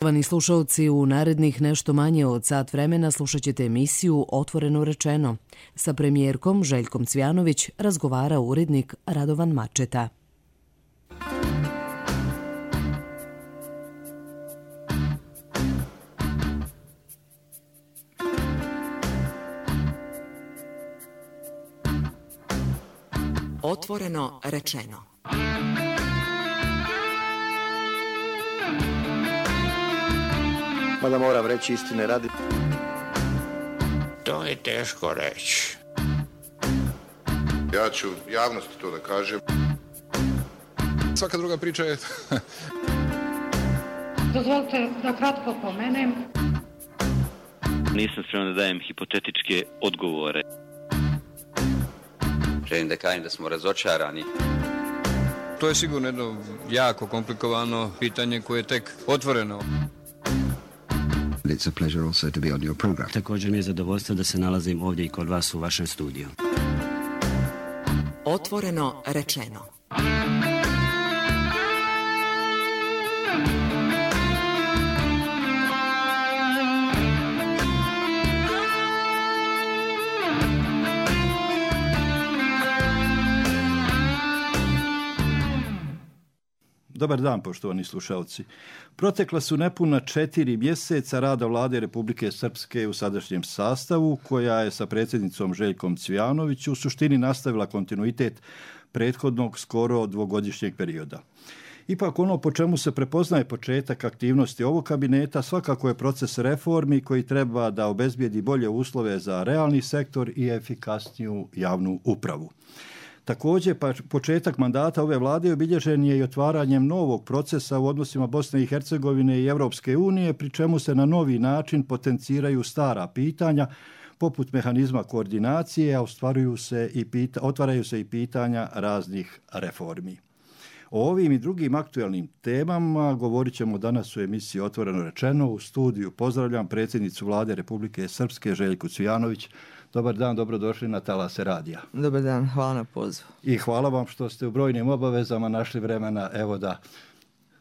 Poštovani slušalci, u narednih nešto manje od sat vremena slušat ćete emisiju Otvoreno rečeno. Sa premijerkom Željkom Cvijanović razgovara urednik Radovan Mačeta. Otvoreno rečeno. Mada moram reći istine radi. To je teško reći. Ja ću javnosti to da kažem. Svaka druga priča je... Dozvolite da kratko pomenem. Nisam spreman da dajem hipotetičke odgovore. Želim da kažem da smo razočarani. To je sigurno jedno jako komplikovano pitanje koje je tek otvoreno. It's a pleasure also to be on your program. Također mi je zadovoljstvo da se nalazim ovdje i kod vas u vašem studiju. Otvoreno rečeno. Dobar dan, poštovani slušalci. Protekla su nepuna 4 mjeseca rada Vlade Republike Srpske u sadašnjem sastavu, koja je sa predsjednicom Željkom Cvijanović u suštini nastavila kontinuitet prethodnog skoro dvogodišnjeg perioda. Ipak ono po čemu se prepoznaje početak aktivnosti ovog kabineta svakako je proces reformi koji treba da obezbijedi bolje uslove za realni sektor i efikasniju javnu upravu. Također, početak mandata ove vlade obilježen je i otvaranjem novog procesa u odnosima Bosne i Hercegovine i Europske unije, pri čemu se na novi način potenciraju stara pitanja, poput mehanizma koordinacije, a otvaraju se i pitanja raznih reformi. O ovim i drugim aktualnim temama govorit ćemo danas u emisiji Otvoreno rečeno. U studiju pozdravljam predsjednicu Vlade Republike Srpske Željku Cvijanović. Dobar dan, dobrodošli na Talase radija. Dobar dan, hvala na pozivu. I hvala vam što ste u brojnim obavezama našli vremena, evo da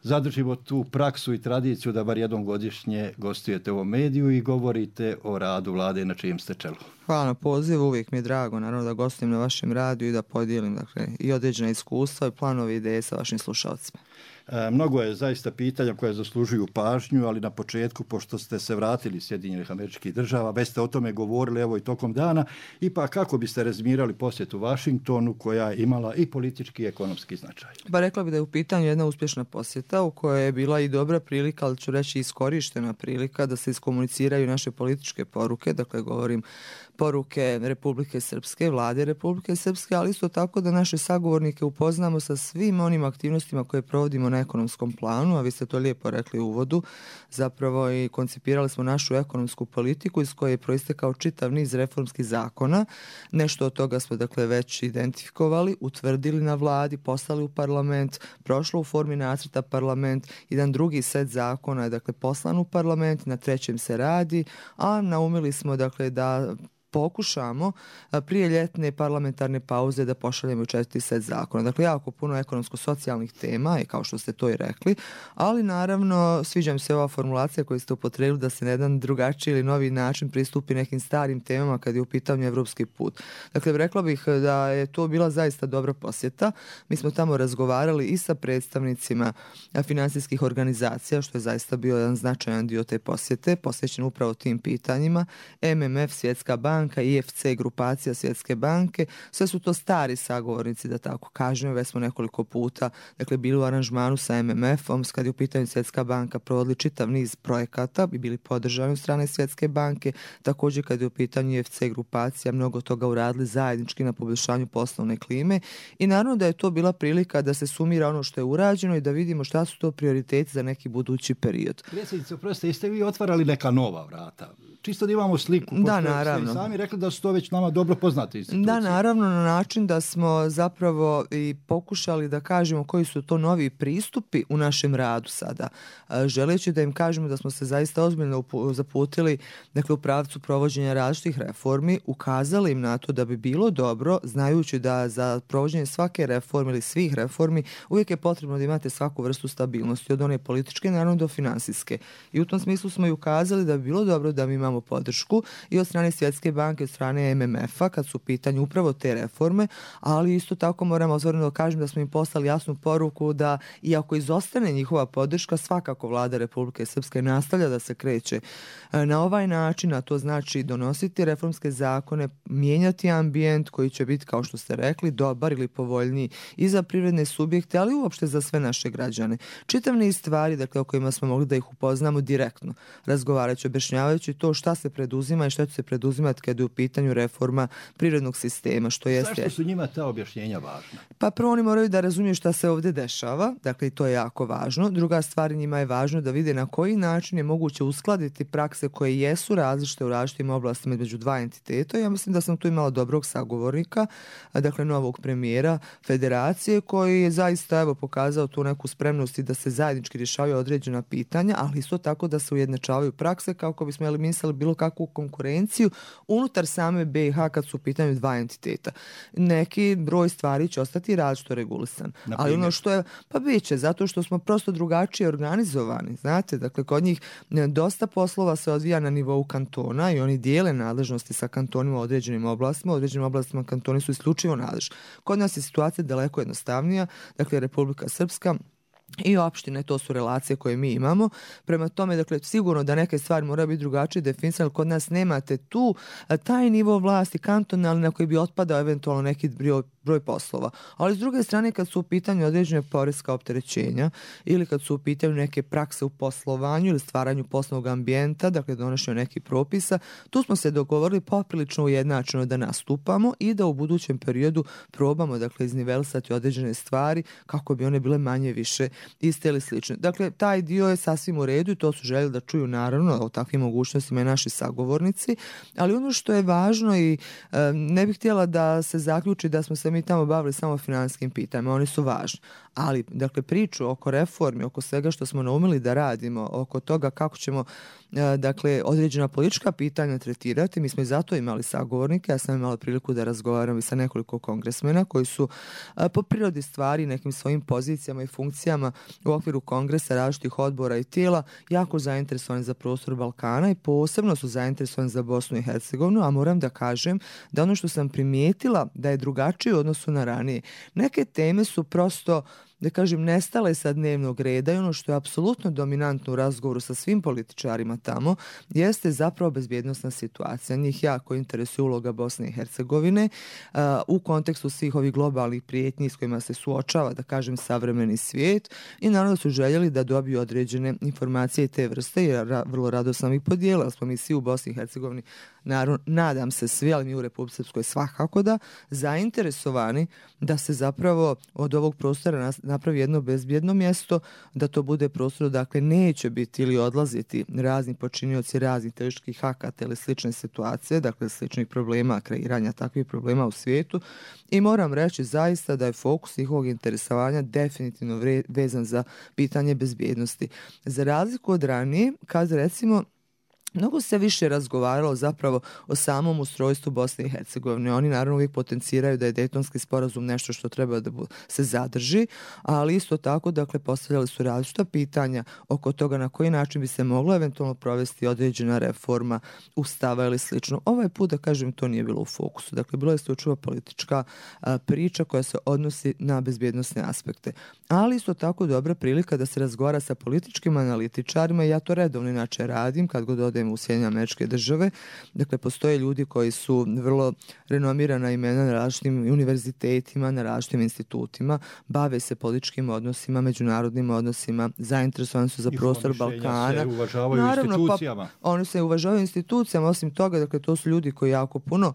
zadržimo tu praksu i tradiciju da bar jednom godišnje gostujete u ovom mediju i govorite o radu Vlade na čijem ste čelu. Hvala na pozivu, uvijek mi je drago naravno da gostujem na vašem radiju i da podijelim i određena iskustva i planove ideje sa vašim slušalcima. Mnogo je zaista pitanja koje zaslužuju pažnju, ali na početku, pošto ste se vratili iz Sjedinjenih Američkih Država, već ste o tome govorili evo i tokom dana, ipak kako biste rezimirali posjetu Vašingtonu koja je imala i politički i ekonomski značaj? Pa rekla bih da je u pitanju jedna uspješna posjeta u kojoj je bila i dobra prilika, ali ću reći iskorištena prilika da se iskomuniciraju naše političke poruke, dakle govorim poruke Republike Srpske, Vlade Republike Srpske, ali isto tako da naše sagovornike upoznamo sa svim onim aktivnostima koje provodimo na ekonomskom planu, a vi ste to lijepo rekli u uvodu, zapravo i koncipirali smo našu ekonomsku politiku iz koje je proistekao čitav niz reformskih zakona. Nešto od toga smo dakle već identifikovali, utvrdili na vladi, poslali u parlament, prošlo u formi nacrta parlament, jedan drugi set zakona je dakle poslan u parlament, na trećem se radi, a naumili smo dakle da pokušamo prije ljetne parlamentarne pauze da pošaljemo 4. set zakona. Dakle, jako puno ekonomsko-socijalnih tema, i kao što ste to i rekli, ali naravno sviđa mi se ova formulacija koju ste upotrijebili da se na jedan drugačiji ili novi način pristupi nekim starim temama kad je u pitanju evropski put. Dakle, rekla bih da je to bila zaista dobra posjeta. Mi smo tamo razgovarali i sa predstavnicima financijskih organizacija, što je zaista bio jedan značajan dio te posjete, posvećen upravo tim pitanjima. MMF, Svjetska banka, IFC, grupacija Svjetske banke, sve su to stari sagovornici, da tako kažem, već smo nekoliko puta dakle, bili u aranžmanu sa MMF-om, kad je u pitanju Svjetska banka provodili čitav niz projekata i bili podržani od strane Svjetske banke, također kad je u pitanju IFC grupacija, mnogo toga uradili zajednički na poboljšanju poslovne klime i naravno da je to bila prilika da se sumira ono što je urađeno i da vidimo šta su to prioriteti za neki budući period. Predsjednice, oprostite, jeste vi otvarali neka nova vrata? Čisto da imamo sliku. Da, naravno. sami rekli da su to već nama dobro poznate institucije. Da, naravno, na način da smo zapravo i pokušali da kažemo koji su to novi pristupi u našem radu sada. Želeći da im kažemo da smo se zaista ozbiljno zaputili, dakle, u pravcu provođenja različitih reformi, ukazali im na to da bi bilo dobro, znajući da za provođenje svake reforme ili svih reformi uvijek je potrebno da imate svaku vrstu stabilnosti, od one političke, naravno, do finansijske. I u tom smislu smo i ukazali da bi bilo dobro da mi imamo podršku i od strane Svjetske banke, od strane MMF-a, kad su u pitanju upravo te reforme, ali isto tako moramo otvoreno da kažem da smo im poslali jasnu poruku da iako izostane njihova podrška, svakako vlada Republike Srpske nastavlja da se kreće na ovaj način, a to znači donositi reformske zakone, mijenjati ambijent koji će biti, kao što ste rekli, dobar ili povoljniji i za privredne subjekte, ali uopšte za sve naše građane. Čitav niz stvari, dakle, o kojima smo mogli da ih upoznamo direktno, razgovarajući, objašnjavajući to šta se preduzima i šta će se preduzimati kada je u pitanju reforma privrednog sistema, što jeste... Zašto su njima ta objašnjenja važna? Pa prvo oni moraju da razumiju šta se ovdje dešava, dakle i to je jako važno. Druga stvar, njima je važno da vide na koji način je moguće uskladiti prakse koje jesu različite u različitim oblastima između dva entiteta. Ja mislim da sam tu imala dobrog sagovornika, dakle novog premijera federacije, koji je zaista pokazao tu neku spremnost i da se zajednički rješavaju određena pitanja, ali isto tako da se ujednačavaju prakse kako bismo eliminisali bilo kakvu konkurenciju unutar same BiH kad su u pitanju dva entiteta. Neki broj stvari će ostati različito regulisan. Ali ono što je, pa bit će, zato što smo prosto drugačije organizovani. Znate, dakle, kod njih dosta poslova se odvija na nivou kantona i oni dijele nadležnosti sa kantonima u određenim oblastima kantoni su isključivo nadležni. Kod nas je situacija daleko jednostavnija, dakle, Republika Srpska i opštine, to su relacije koje mi imamo. Prema tome, dakle, sigurno da neke stvari moraju biti drugačije definisane, ali kod nas nemate tu taj nivo vlasti kantonalni na koji bi otpadao eventualno neki broj poslova. Ali s druge strane, kad su u pitanju određene poreska opterećenja ili kad su u pitanju neke prakse u poslovanju ili stvaranju poslovnog ambijenta, dakle donošenju nekih propisa, tu smo se dogovorili poprilično ujednačeno da nastupamo i da u budućem periodu probamo, dakle, iznivelisati određene stvari kako bi one bile manje više iste ili slične. Dakle, taj dio je sasvim u redu i to su željeli da čuju, naravno, o takvim mogućnostima i naši sagovornici, ali ono što je važno i ne bih htjela da se zaključi da smo se mi tamo bavili samo finansijskim pitanjima, oni su važni. Ali, dakle, priču oko reformi, oko svega što smo naumili da radimo, oko toga kako ćemo, dakle, određena politička pitanja tretirati, mi smo i zato imali sagovornike, ja sam imala priliku da razgovaram i sa nekoliko kongresmena koji su po prirodi stvari nekim svojim pozicijama i funkcijama u okviru kongresa, različitih odbora i tijela jako zainteresovani za prostor Balkana i posebno su zainteresovani za Bosnu i Hercegovinu, a moram da kažem da ono što sam primijetila da je drugačije u odnosu na ranije. Neke teme su prosto, da kažem, nestale sa dnevnog reda i ono što je apsolutno dominantno u razgovoru sa svim političarima tamo jeste zapravo bezbjednosna situacija. Njih jako interesuje uloga Bosne i Hercegovine u kontekstu svih ovih globalnih prijetnji s kojima se suočava, da kažem, savremeni svijet i naravno su željeli da dobiju određene informacije te vrste i vrlo rado sam ih podijelila. Smo mi svi u Bosni i Hercegovini, naravno, nadam se svi, ali mi u Republici Srpskoj svakako da, zainteresovani da se zapravo od ovog prostora napravi jedno bezbjedno mjesto, da to bude prostor, dakle, neće biti ili odlaziti razni počinioci raznih terorističkih akata ili slične situacije, dakle, sličnih problema, kreiranja takvih problema u svijetu. I moram reći zaista da je fokus njihovog interesovanja definitivno vezan za pitanje bezbjednosti. Za razliku od ranije, kad recimo mnogo se više razgovaralo zapravo o samom ustrojstvu Bosne i Hercegovine. Oni naravno uvijek potenciraju da je Dejtonski sporazum nešto što treba da se zadrži, ali isto tako, dakle, postavljali su različita pitanja oko toga na koji način bi se moglo eventualno provesti određena reforma ustava ili slično. Ovaj put, da kažem, to nije bilo u fokusu. Dakle, bilo je isključivo politička priča koja se odnosi na bezbjednosne aspekte. Ali isto tako dobra prilika da se razgovara sa političkim analitičarima. Ja to redovno inače radim kad god odem u Sjedinjene Američke Države. Dakle, postoje ljudi koji su vrlo renomirana imena na različitim univerzitetima, na različitim institutima, bave se političkim odnosima, međunarodnim odnosima, zainteresovani su za prostor Balkana. Se uvažavaju institucijama. Oni se uvažavaju institucijama, osim toga, dakle, to su ljudi koji jako puno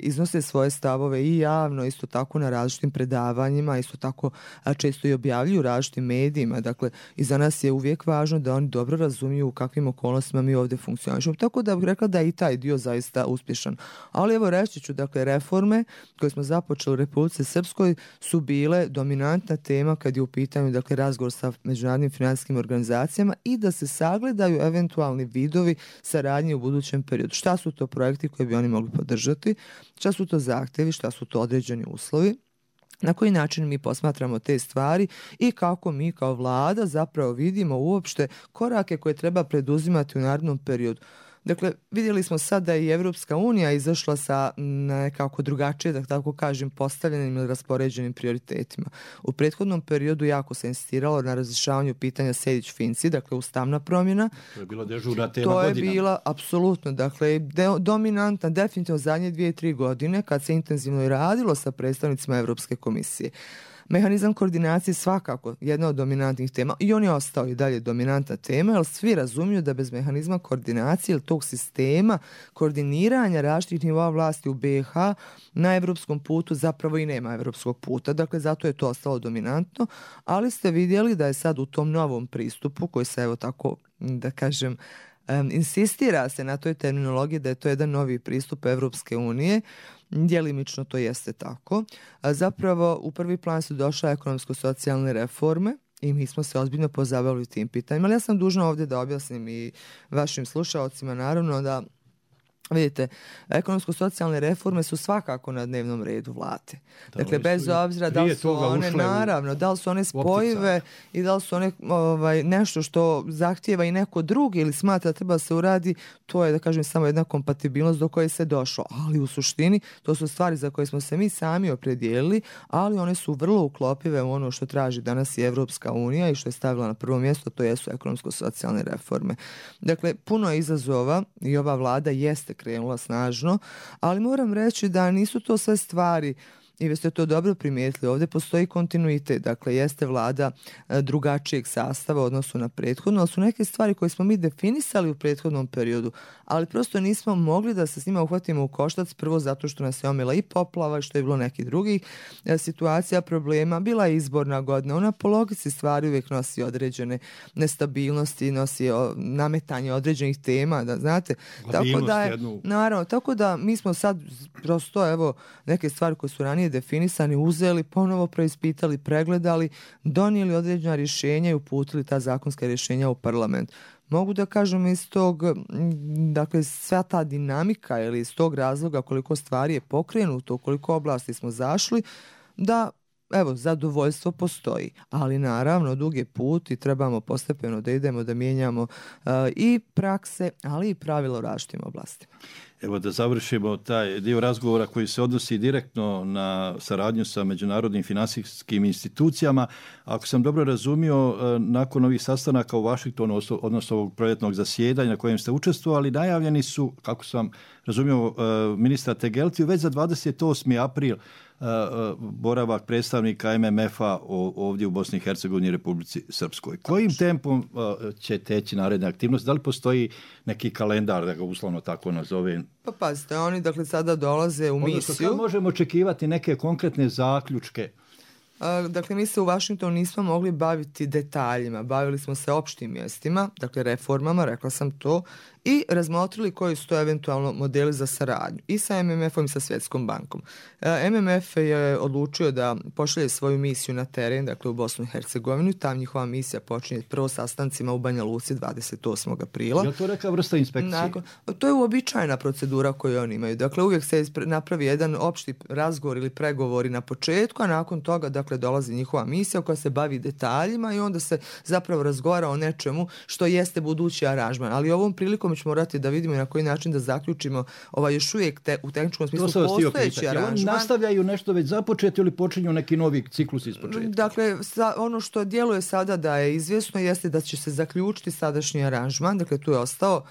iznose svoje stavove i javno, isto tako na različitim predavanjima, isto tako često i objavljuju različitim medijima. Dakle, i za nas je uvijek važno da oni dobro razumiju u kakvim okolnostima okolnostima mi ovdje funkcionišemo. Tako da bih rekla da je i taj dio zaista uspješan. Ali evo reći ću, dakle, reforme koje smo započeli u Republici Srpskoj su bile dominantna tema kad je u pitanju, dakle, razgovor sa međunarodnim financijskim organizacijama i da se sagledaju eventualni vidovi saradnje u budućem periodu. Šta su to projekti koje bi oni mogli podržati, šta su to zahtjevi, šta su to određeni uslovi, na koji način mi posmatramo te stvari i kako mi kao vlada zapravo vidimo uopšte korake koje treba preduzimati u narednom periodu. Dakle, vidjeli smo sad da je i Evropska unija izašla sa nekako drugačije, da tako kažem, postavljenim ili raspoređenim prioritetima. U prethodnom periodu jako se insistiralo na razrješavanju pitanja Sejdić-Finci, dakle ustavna promjena. To je bila dežurna tema godinama. To je bila, apsolutno, dakle, dominantna, definitivno zadnje 2-3 godine, kad se intenzivno i radilo sa predstavnicima Evropske komisije. Mehanizam koordinacije svakako jedna od dominantnih tema i on je ostao i dalje dominantna tema, jer svi razumiju da bez mehanizma koordinacije ili tog sistema koordiniranja različitih nivoa vlasti u BiH na evropskom putu zapravo i nema evropskog puta. Dakle, zato je to ostalo dominantno, ali ste vidjeli da je sad u tom novom pristupu koji se, evo tako da kažem, insistira se na toj terminologiji da je to jedan novi pristup Evropske unije. Djelimično to jeste tako. Zapravo u prvi plan su došle ekonomsko-socijalne reforme i mi smo se ozbiljno pozabavili tim pitanjima. Ali ja sam dužna ovdje da objasnim i vašim slušaocima naravno da vidite, ekonomsko-socijalne reforme su svakako na dnevnom redu vlade. Dakle, bez obzira da li su one, naravno, da li su one spojive i da li su one nešto što zahtijeva i neko drugi ili smatra da treba se uradi, to je, da kažem, samo jedna kompatibilnost do koje se došlo. Ali u suštini, to su stvari za koje smo se mi sami opredijelili, ali one su vrlo uklopive u ono što traži danas i Evropska unija i što je stavila na prvo mjesto, to jesu ekonomsko-socijalne reforme. Dakle, puno je izazova i ova vlada jeste krenula snažno, ali moram reći da nisu to sve stvari i vi ste to dobro primijetili, ovdje postoji kontinuitet, dakle jeste vlada drugačijeg sastava u odnosu na prethodno, ali su neke stvari koje smo mi definisali u prethodnom periodu, ali prosto nismo mogli da se s njima uhvatimo u koštac, prvo zato što nas je omela i poplava i što je bilo nekih drugih situacija, problema, bila je izborna godina, ona po logici stvari uvijek nosi određene nestabilnosti, nosi nametanje određenih tema, da znate, tako da je, naravno, tako da mi smo sad prosto, evo, neke stvari koje su ranije definisani, uzeli, ponovo preispitali, pregledali, donijeli određena rješenja i uputili ta zakonska rješenja u parlament. Mogu da kažem iz tog, dakle, sva ta dinamika ili iz tog razloga koliko stvari je pokrenuto, koliko oblasti smo zašli, da, evo, zadovoljstvo postoji. Ali naravno, dug je put i trebamo postepeno da idemo, da mijenjamo i prakse, ali i pravila u različitim oblastima. Evo da završimo taj dio razgovora koji se odnosi direktno na saradnju sa međunarodnim financijskim institucijama. Ako sam dobro razumio, nakon ovih sastanaka u Vašingtonu, odnosno ovog proljetnog zasjedanja na kojem ste učestvovali, najavljeni su, kako sam razumio ministra Tegeltiju, već za 28. april boravak predstavnika MMF-a ovdje u Bosni i Hercegovini i Republici Srpskoj. Kojim tempom će teći naredne aktivnosti? Da li postoji neki kalendar, da ga uslovno tako nazovem? Pa pazite, oni dakle sada dolaze u misiju. Odnosno, kad možemo očekivati neke konkretne zaključke? Dakle, mi se u Vašingtonu nismo mogli baviti detaljima, bavili smo se opštim mjestima, dakle reformama, rekla sam to, i razmotrili koji su to eventualno modeli za saradnju i sa MMF-om i sa Svjetskom bankom. MMF je odlučio da pošalje svoju misiju na teren, dakle u Bosnu i Hercegovinu, tam njihova misija počinje prvo sastancima u Banja Luci 28. aprila. Je li to neka vrsta inspekcije? To je uobičajena procedura koju oni imaju. Dakle, uvijek se napravi jedan opšti razgovor ili pregovori na početku, a nakon toga, dakle, dolazi njihova misija koja se bavi detaljima i onda se zapravo razgovara o nečemu što jeste budući aranžman. Ali ovom prilikom ćemo morati da vidimo na koji način da zaključimo još uvijek u tehničkom smislu postojeći aranžman. Nastavljaju nešto već započeti ili počinju neki novi ciklus iz početka? Dakle, ono što djeluje sada da je izvjesno jeste da će se zaključiti sadašnji aranžman, dakle tu je ostao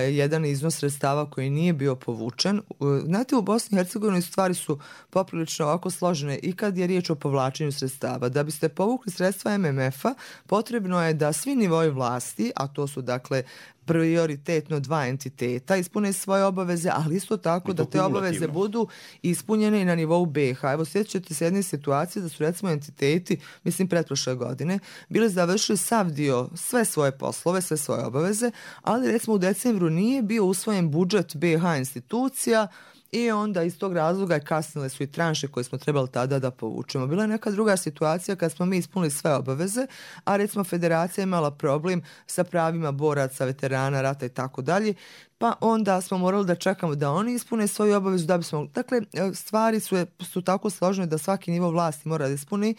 jedan iznos sredstava koji nije bio povučen. Znate, u Bosni i Hercegovini stvari su poprilično ovako složene i kad je riječ o povlačenju sredstava. Da biste povukli sredstva MMF-a, potrebno je da svi nivoi vlasti, a to su dakle prioritetno 2 entiteta, ispune svoje obaveze, ali isto tako da te obaveze budu ispunjene i na nivou BiH. Evo, sjećate se jedne situacije da su recimo entiteti, mislim pretprošle godine, bili završili sav dio, sve svoje poslove, sve svoje obaveze, ali recimo u decembru nije bio usvojen budžet BiH institucija i onda iz tog razloga kasnile su i tranše koje smo trebali tada da povučemo. Bila je neka druga situacija kad smo mi ispunili sve obaveze, a recimo federacija imala problem sa pravima boraca, veterana, rata i tako dalje, pa onda smo morali da čekamo da oni ispune svoju obavezu da bismo... Dakle, stvari su tako složene da svaki nivo vlasti mora da ispuni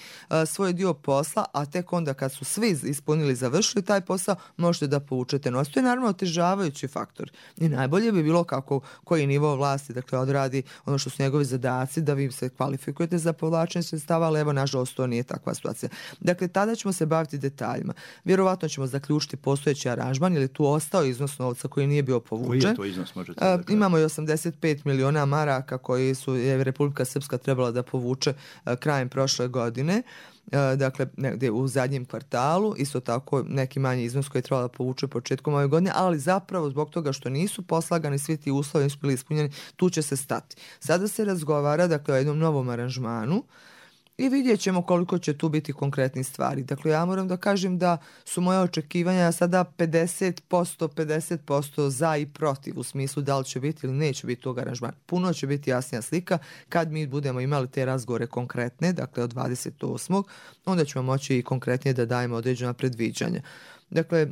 svoj dio posla, a tek onda kad su svi ispunili, završili taj posao, možete da povučete novac. To je naravno otežavajući faktor. I najbolje bi bilo kako koji nivo vlasti, dakle, odradi ono što su njegovi zadaci, da vi se kvalifikujete za povlačenje sredstava, ali evo, nažalost, to nije takva situacija. Dakle, tada ćemo se baviti detaljima. Vjerovatno ćemo zaključiti postojeći aranžman, jer je tu ostao iznos novca koji nije bio povučen. Koji je to iznos, možete da kažete? Imamo i 85 miliona maraka koji je Republika Srpska trebala da povuče krajem prošle godine, dakle negdje u zadnjem kvartalu, isto tako neki manji iznos koji je trebala da povuče početkom ove godine, ali zapravo zbog toga što nisu poslagani svi ti uslovi, nisu bili ispunjeni, tu će se stati. Sada se razgovara, dakle, o jednom novom aranžmanu i vidjet ćemo koliko će tu biti konkretni stvari. Dakle, ja moram da kažem da su moje očekivanja sada 50% za i protiv, u smislu da li će biti ili neće biti tog aranžmana. Puno će biti jasnija slika kad mi budemo imali te razgovore konkretne, dakle od 28. onda ćemo moći i konkretnije da dajemo određena predviđanja. Dakle,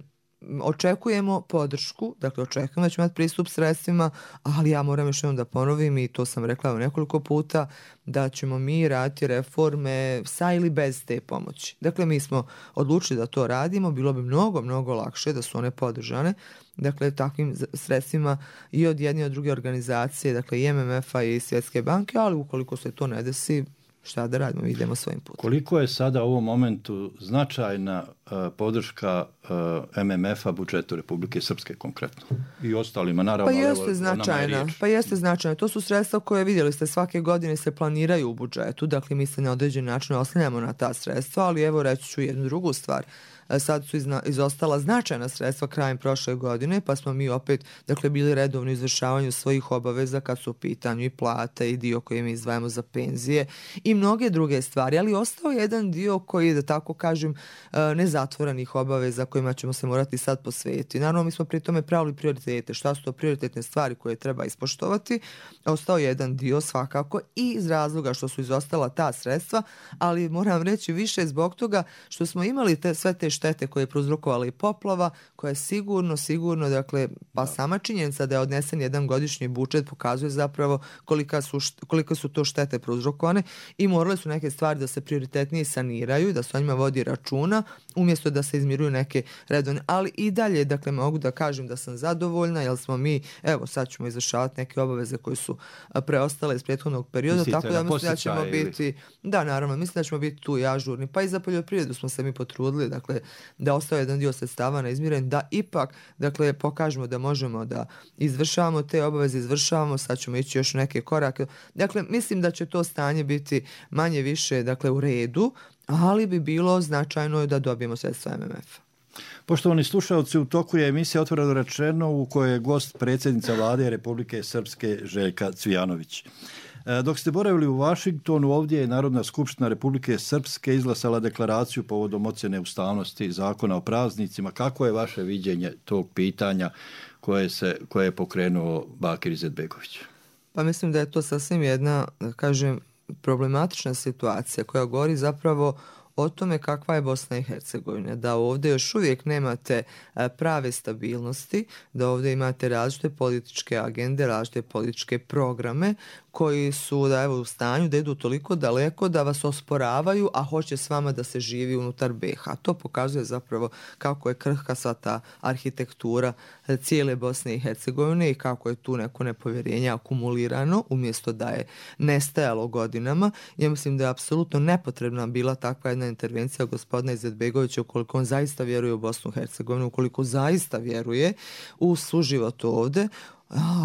očekujemo podršku, dakle očekujemo da ćemo imati pristup sredstvima, ali ja moram još jednom da ponovim i to sam rekla nekoliko puta, da ćemo mi raditi reforme sa ili bez te pomoći. Dakle, mi smo odlučili da to radimo, bilo bi mnogo lakše da su one podržane, dakle takvim sredstvima i od jedne i od druge organizacije, dakle i MMF-a i Svjetske banke, ali ukoliko se to ne desi, šta da radimo, mi idemo svojim putem. Koliko je sada u ovom momentu značajna podrška MMF-a budžetu Republike Srpske konkretno? I ostalima, naravno. Pa jeste značajna. To su sredstva koje, vidjeli ste, svake godine se planiraju u budžetu, dakle mi se na određen način oslanjamo na ta sredstva, ali evo reći ću jednu drugu stvar. Sad su izostala značajna sredstva krajem prošle godine, pa smo mi opet, dakle, bili redovni u izvršavanju svojih obaveza kad su u pitanju i plate i dio koji mi izdvajamo za penzije i mnoge druge stvari, ali ostao je jedan dio koji, da tako kažem, nezatvorenih obaveza kojima ćemo se morati sad posvetiti. Naravno, mi smo pri tome pravili prioritete. Šta su to prioritetne stvari koje treba ispoštovati? Ostao je jedan dio svakako i iz razloga što su izostala ta sredstva, ali moram reći više zbog toga što smo imali sve te štete koje je prouzrokovala i poplava, koja je sigurno, dakle, pa sama činjenica da je odnesen jedan godišnji budžet pokazuje zapravo koliko su to štete prouzrokovane i morale su neke stvari da se prioritetnije saniraju, da se o njima vodi računa, umjesto da se izmiruju neke redovne. Ali i dalje, dakle, mogu da kažem da sam zadovoljna, jer smo mi, evo, sad ćemo izvršavati neke obaveze koje su preostale iz prethodnog perioda, tako da mislim da ćemo biti, da, naravno, mislim da ćemo biti tu i ažurni, pa i za poljoprivredu smo se mi potrudili, dakle, da ostao jedan dio sredstava neizmiren, da ipak, dakle, pokažemo da možemo da izvršavamo te obaveze, izvršavamo, sad ćemo ići još neke korake. Dakle, mislim da će to stanje biti manje više, dakle, u redu, ali bi bilo značajno da dobijemo sredstva MMF-a. Poštovani slušalci, u toku je emisija Otvoreno rečeno u kojoj je gost predsjednica Vlade Republike Srpske Željka Cvijanović. Dok ste boravili u Vašingtonu, ovdje je Narodna skupština Republike Srpske izglasala deklaraciju povodom ocjene ustavnosti zakona o praznicima. Kako je vaše viđenje tog pitanja koje je pokrenuo Bakir Izetbegović? Pa mislim da je to sasvim jedna, da kažem, problematična situacija koja govori zapravo o tome kakva je Bosna i Hercegovina, da ovdje još uvijek nemate prave stabilnosti, da ovdje imate različite političke agende, različite političke programe koji su da evo u stanju da idu toliko daleko da vas osporavaju, a hoće s vama da se živi unutar BiH. To pokazuje zapravo kako je krhka sva ta arhitektura cijele Bosne i Hercegovine i kako je tu neko nepovjerenje akumulirano umjesto da je nestajalo godinama. Ja mislim da je apsolutno nepotrebna bila takva jedna intervencija gospodina Izetbegovića ukoliko on zaista vjeruje u Bosnu i Hercegovinu, ukoliko zaista vjeruje u suživot ovdje.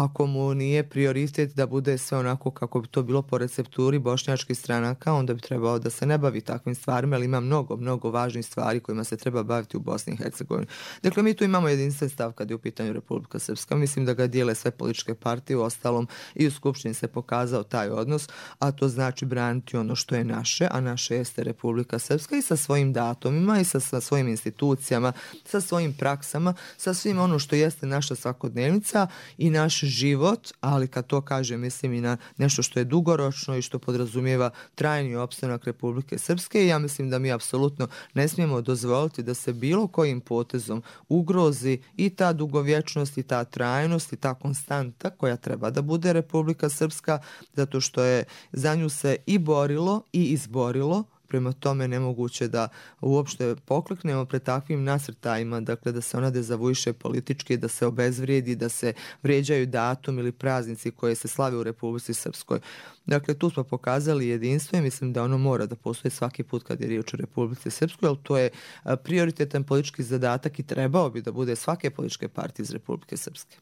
Ako mu nije prioritet da bude sve onako kako bi to bilo po recepturi bošnjačkih stranaka, onda bi trebao da se ne bavi takvim stvarima, ali ima mnogo važnih stvari kojima se treba baviti u Bosni i Hercegovini. Dakle, mi tu imamo jedinstven stav kad je u pitanju Republika Srpska. Mislim da ga dijele sve političke partije, u ostalom i u Skupštini se pokazao taj odnos, a to znači braniti ono što je naše, a naše jeste Republika Srpska i sa svojim datumima i sa svojim institucijama, sa svojim praksama, sa svim ono što jeste naša svakodnevnica i naš život, ali kad to kažem mislim i na nešto što je dugoročno i što podrazumijeva trajni opstanak Republike Srpske i ja mislim da mi apsolutno ne smijemo dozvoliti da se bilo kojim potezom ugrozi i ta dugovječnost i ta trajnost i ta konstanta koja treba da bude Republika Srpska, zato što je za nju se i borilo i izborilo. Prema tome nemoguće da uopšte pokleknemo pred takvim nasrtajima, dakle da se ona dezavuiše politički, da se obezvrijedi, da se vrijeđaju datum ili praznici koje se slave u Republici Srpskoj. Dakle, tu smo pokazali jedinstvo i mislim da ono mora da postoji svaki put kad je riječ o Republici Srpskoj, ali to je prioritetan politički zadatak i trebao bi da bude svake političke partije iz Republike Srpske.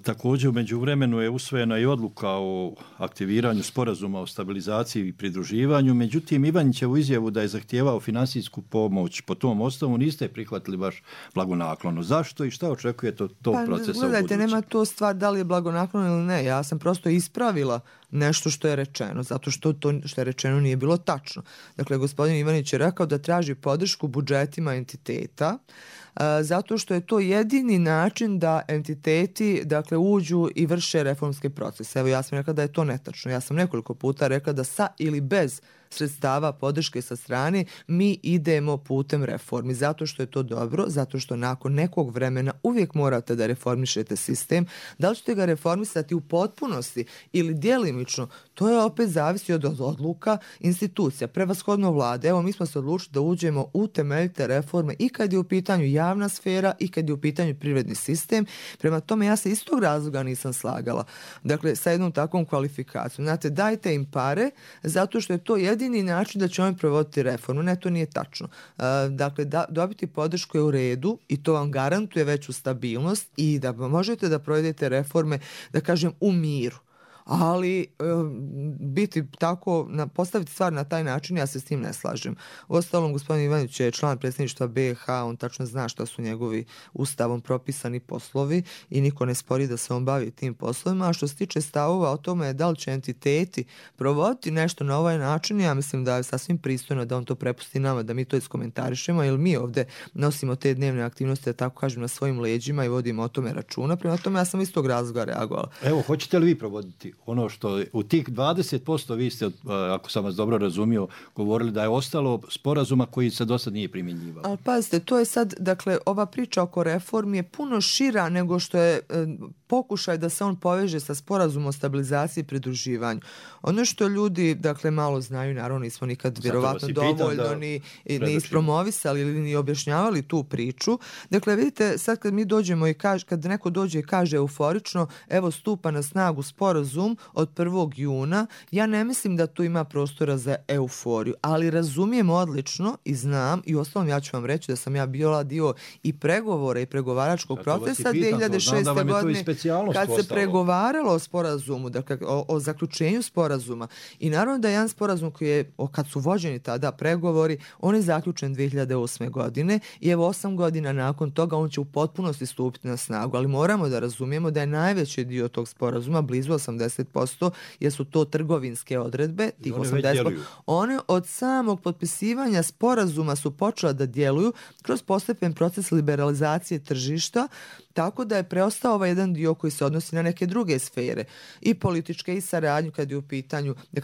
Također u međuvremenu je usvojena i odluka o aktiviranju sporazuma o stabilizaciji i pridruživanju, međutim Ivanićevu izjavu da je zahtijevao finansijsku pomoć po tom osnovu niste prihvatili baš blagonaklono. Zašto i šta očekujete od tog procesa u budućem? Gledajte, nema to stvar da li je blagonaklono ili ne. Ja sam prosto ispravila nešto što je rečeno, zato što to što je rečeno nije bilo tačno. Dakle, gospodin Ivanić je rekao da traži podršku budžetima entiteta, zato što je to jedini način da entiteti dakle uđu i vrše reformske procese. Evo ja sam rekla da je to netačno. Ja sam nekoliko puta rekla da sa ili bez sredstava podrške sa strane mi idemo putem reformi, zato što je to dobro, zato što nakon nekog vremena uvijek morate da reformišete sistem. Da li ćete ga reformisati u potpunosti ili djelimično, to je opet zavisi od odluka institucija, prevashodno vlade. Evo mi smo se odlučili da uđemo u temeljite reforme i kad je u pitanju javna sfera i kad je u pitanju privredni sistem. Prema tome ja se iz tog razloga nisam slagala. Dakle, sa jednom takvom kvalifikacijom. Znate, dajte im pare zato što je to jedini način da će oni provoditi reformu. Ne, to nije tačno. Dakle, dobiti podršku je u redu i to vam garantuje veću stabilnost i da možete da provedete reforme, da kažem, u miru. Ali biti tako, postaviti stvar na taj način, ja se s tim ne slažem. Uostalom, gospodin Ivanić je član predsjedništva BiH, on tačno zna šta su njegovi ustavom propisani poslovi i niko ne spori da se on bavi tim poslovima. A što se tiče stavova o tome da li će entiteti provoditi nešto na ovaj način, ja mislim da je sasvim pristojno da on to prepusti nama, da mi to iskomentarišemo, jer mi ovdje nosimo te dnevne aktivnosti, da tako kažem, na svojim leđima i vodimo o tome računa. Prema tome, ja sam iz tog razloga reagovala. Evo, hoćete li vi provoditi ono što u tih 20% vi ste, ako sam vas dobro razumio, govorili da je ostalo sporazuma koji se do sad nije primjenjivao? Ali pazite, to je sad, dakle, ova priča oko reformi je puno šira nego što je pokušaj da se on poveže sa sporazumom o stabilizaciji i pridruživanju. Ono što ljudi, dakle, malo znaju, naravno nismo nikad vjerovatno dovoljno ni ispromovisali ili ni objašnjavali tu priču. Dakle, vidite, sad kad mi dođemo i kad neko dođe i kaže euforično, evo stupa na snagu sporazum od 1. juna, ja ne mislim da tu ima prostora za euforiju, ali razumijem odlično i znam, i ostalom ja ću vam reći da sam ja bila dio i pregovora i pregovaračkog procesa 2006. godine kad se pregovaralo o sporazumu, dakle o zaključenju sporazuma. I naravno da je jedan sporazum koji je, kad su vođeni tada pregovori, on je zaključen 2008. godine i evo 8 godina nakon toga on će u potpunosti stupiti na snagu, ali moramo da razumijemo da je najveći dio tog sporazuma, blizu 80%, jer su to trgovinske odredbe, tih 80%. One od samog potpisivanja sporazuma su počela da djeluju kroz postepen proces liberalizacije tržišta, tako da je preostao ovaj jedan dio dio koji se odnosi na neke druge sfere, i političke i saradnju kad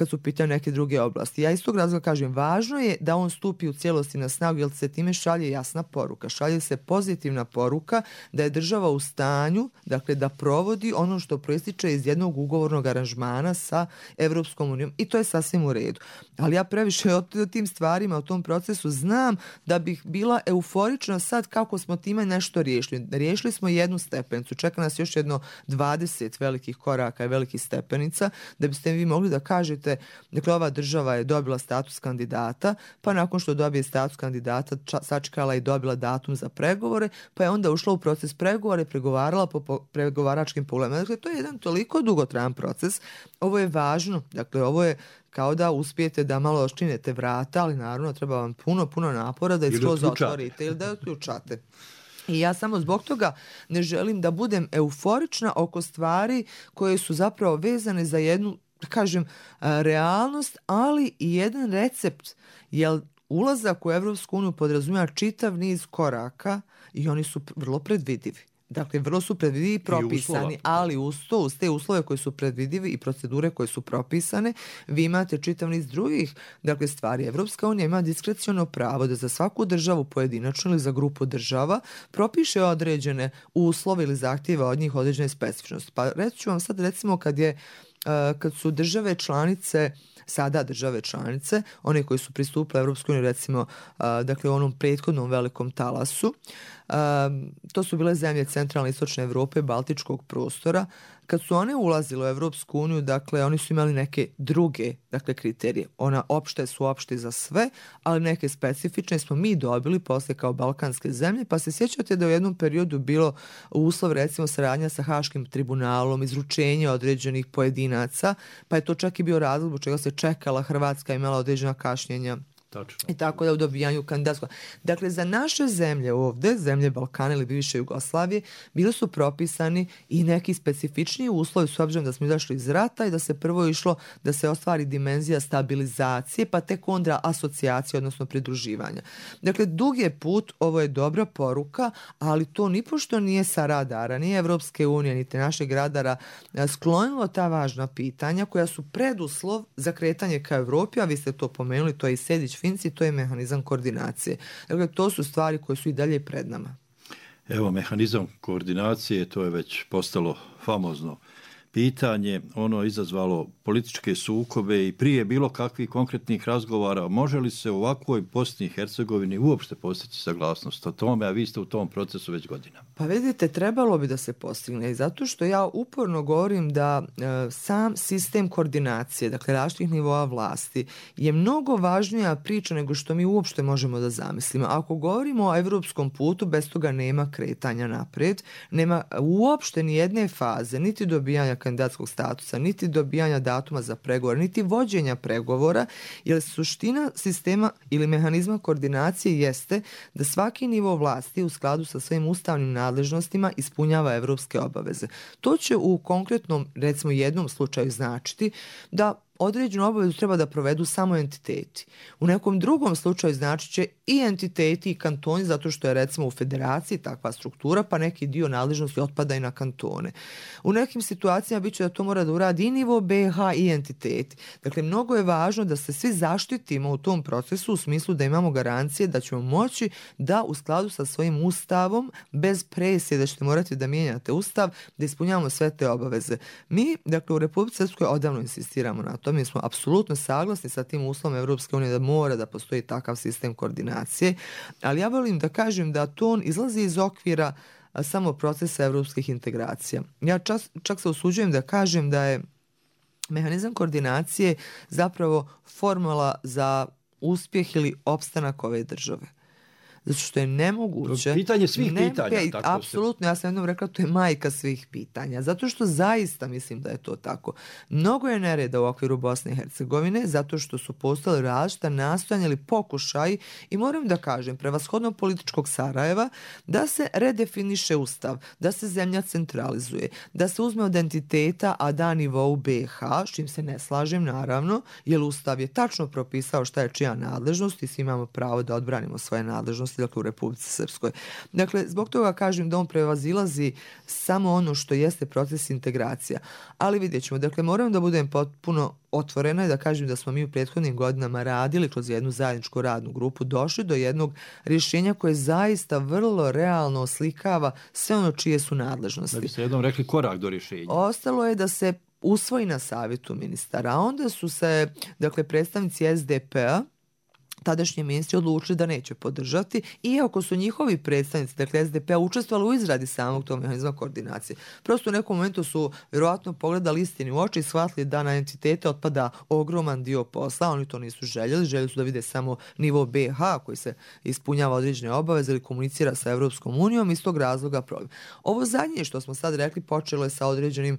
su u pitanju neke druge oblasti. Ja iz tog razloga kažem, važno je da on stupi u cijelosti na snagu, jer se time šalje jasna poruka, šalje se pozitivna poruka da je država u stanju, dakle, da provodi ono što proističe iz jednog ugovornog aranžmana sa Evropskom unijom, i to je sasvim u redu. Ali ja previše o tim stvarima, o tom procesu znam da bih bila euforična sad kako smo time nešto riješili. Riješili smo jednu stepenicu, čeka nas još jedno 20 velikih koraka i velikih stepenica da biste vi mogli da kažete, dakle, ova država je dobila status kandidata, pa nakon što dobije status kandidata sačekala i dobila datum za pregovore, pa je onda ušla u proces pregovora i pregovarala po pregovaračkim pogledima. Dakle, to je jedan toliko dugotrajan proces. Ovo je važno, dakle, ovo je kao da uspijete da malo oščinete vrata, ali naravno treba vam puno napora da skroz otvorite ili da otključate. I ja samo zbog toga ne želim da budem euforična oko stvari koje su zapravo vezane za jednu, da kažem, realnost, ali i jedan recept, jer ulazak u Evropsku uniju podrazumijeva čitav niz koraka i oni su vrlo predvidivi. Dakle, vrlo su predvidivi i propisani, ali uz te uslove koji su predvidivi i procedure koje su propisane, vi imate čitav niz drugih, dakle, stvari. Evropska unija ima diskreciono pravo da za svaku državu pojedinačno ili za grupu država propiše određene uslove ili zahtjeve od njih, određene specifičnosti. Pa reći ću vam sad, recimo, kad su države članice, sada države članice, one koji su pristupile Evropskoj uniji, recimo, dakle, u onom prethodnom velikom talasu, to su bile zemlje centralne i istočne Evrope, baltičkog prostora. Kad su one ulazile u Evropsku uniju, dakle, oni su imali neke druge, dakle, kriterije. Ona opšte su opšte za sve, ali neke specifične smo mi dobili posle kao balkanske zemlje, pa se sjećate da u jednom periodu bilo uslov, recimo, saradnja sa Haškim tribunalom, izručenje određenih pojedinaca, pa je to čak i bio razlog zbog čega se čekala Hrvatska, imala određena kašnjenja. Tačno. I tako da u dobijanju kandidatskog. Dakle, za naše zemlje ovdje, zemlje Balkana ili bivše Jugoslavije, bili su propisani i neki specifičniji uslovi, s obzirom da smo izašli iz rata i da se prvo išlo da se ostvari dimenzija stabilizacije, pa tek onda asocijacije, odnosno pridruživanja. Dakle, dug je put, ovo je dobra poruka, ali to nipošto nije sa radara, ni Evropske unije, niti našeg radara sklonilo ta važna pitanja koja su preduslov za kretanje ka Evropi, a vi ste to pomenuli, to je i Sejdić Finci, to je mehanizam koordinacije. Dakle, to su stvari koje su i dalje pred nama. Evo, mehanizam koordinacije, to je već postalo famozno pitanje, ono je izazvalo političke sukobe i prije bilo kakvih konkretnih razgovara. Može li se u ovakvoj Bosni i Hercegovini uopšte postići saglasnost o tome, a vi ste u tom procesu već godinama? Pa vidite, trebalo bi da se postigne i zato što ja uporno govorim da sam sistem koordinacije, dakle različitih nivoa vlasti, je mnogo važnija priča nego što mi uopšte možemo da zamislimo. Ako govorimo o evropskom putu, bez toga nema kretanja naprijed, nema uopšte ni jedne faze, niti dobijanja kandidatskog statusa, niti dobijanja datuma za pregovor, niti vođenja pregovora, jer suština sistema ili mehanizma koordinacije jeste da svaki nivo vlasti u skladu sa svojim ustavnim nadležnostima ispunjava evropske obaveze. To će u konkretnom, recimo jednom slučaju značiti da određenu obavezu treba da provedu samo entiteti. U nekom drugom slučaju znači će i entiteti i kantoni, zato što je recimo u federaciji takva struktura, pa neki dio nadležnosti otpada i na kantone. U nekim situacijama bit će da to mora da uradi i nivo BiH i entiteti. Dakle, mnogo je važno da se svi zaštitimo u tom procesu u smislu da imamo garancije da ćemo moći da u skladu sa svojim ustavom, bez presije da ćete morati da mijenjate ustav, da ispunjavamo sve te obaveze. Mi, dakle, u Republici Srpskoj odavno insistiramo na to. Mi smo apsolutno saglasni sa tim uslovom Evropske unije da mora da postoji takav sistem koordinacije, ali ja volim da kažem da to on izlazi iz okvira samo procesa evropskih integracija. Ja čak se usuđujem da kažem da je mehanizam koordinacije zapravo formula za uspjeh ili opstanak ove države. Zato što je nemoguće... Pitanje svih pitanja. Apsolutno, ja sam jednom rekla, to je majka svih pitanja. Zato što zaista mislim da je to tako. Mnogo je nereda u okviru Bosne i Hercegovine, zato što su postali različita nastojanja ili pokušaj, i moram da kažem, prevashodno političkog Sarajeva, da se redefiniše ustav, da se zemlja centralizuje, da se uzme od entiteta, a da nivou BiH, s čim se ne slažem, naravno, jer ustav je tačno propisao šta je čija nadležnost i svi imamo pravo da odbranimo svoje nadležnosti nadležnosti, dakle, u Republici Srpskoj. Dakle, zbog toga kažem da on prevazilazi samo ono što jeste proces integracija. Ali vidjet ćemo, dakle, moram da budem potpuno otvorena i da kažem da smo mi u prethodnim godinama radili kroz jednu zajedničku radnu grupu, došli do jednog rješenja koje zaista vrlo realno oslikava sve ono čije su nadležnosti. Da bi se jednom rekli korak do rješenja. Ostalo je da se usvoji na savjetu ministara, a onda su se, dakle, predstavnici SDP-a, tadašnji ministri, odlučili da neće podržati, iako su njihovi predstavnici, dakle SDP-a, učestvovali u izradi samog tog mehanizma koordinacije. Prosto u nekom momentu su vjerojatno pogledali istini u oči i shvatili da na entitete otpada ogroman dio posla, oni to nisu željeli su da vide samo nivo BiH koji se ispunjava određene obaveze ili komunicira sa Evropskom unijom, iz tog razloga problem. Ovo zadnje što smo sad rekli počelo je sa određenim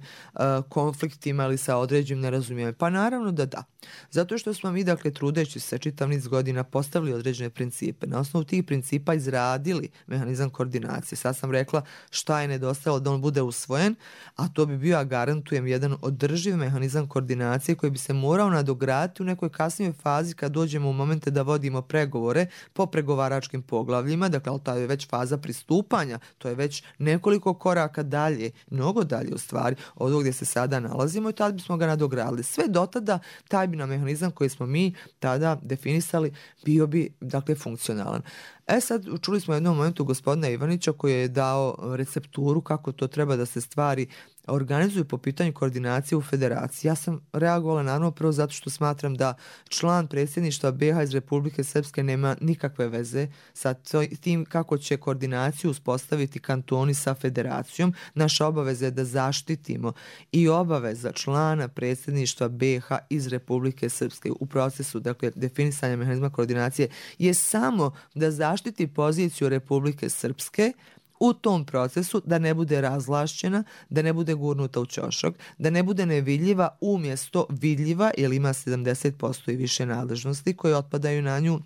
konfliktima ili sa određenim nerazumijevanjem. Pa naravno da. Zato što smo mi, dakle, trudeći se čitav niz godina postavili određene principe. Na osnovu tih principa izradili mehanizam koordinacije. Sad sam rekla šta je nedostajalo da on bude usvojen, a to bi bio, ja garantujem, jedan održiv mehanizam koordinacije koji bi se morao nadograditi u nekoj kasnijoj fazi kad dođemo u momente da vodimo pregovore po pregovaračkim poglavljima. Dakle, ali to je već faza pristupanja. To je već nekoliko koraka dalje, mnogo dalje u stvari od ovog gdje se sada nalazimo i tada bismo ga nadogradili. Sve do tada taj bi na mehanizam koji smo mi tada definisali bio bi, dakle, funkcionalan. Sad čuli smo u jednom momentu gospodina Ivanića koji je dao recepturu kako to treba da se stvari organizuju po pitanju koordinacije u federaciji. Ja sam reagovala naravno prvo zato što smatram da član predsjedništva BiH iz Republike Srpske nema nikakve veze sa tim kako će koordinaciju uspostaviti kantoni sa federacijom. Naša obaveza je da zaštitimo i obaveza člana predsjedništva BiH iz Republike Srpske u procesu, dakle, definisanja mehanizma koordinacije je samo da zaštiti poziciju Republike Srpske u tom procesu, da ne bude razvlašćena, da ne bude gurnuta u ćošak, da ne bude nevidljiva umjesto vidljiva, jer ima 70% i više nadležnosti koje otpadaju na nju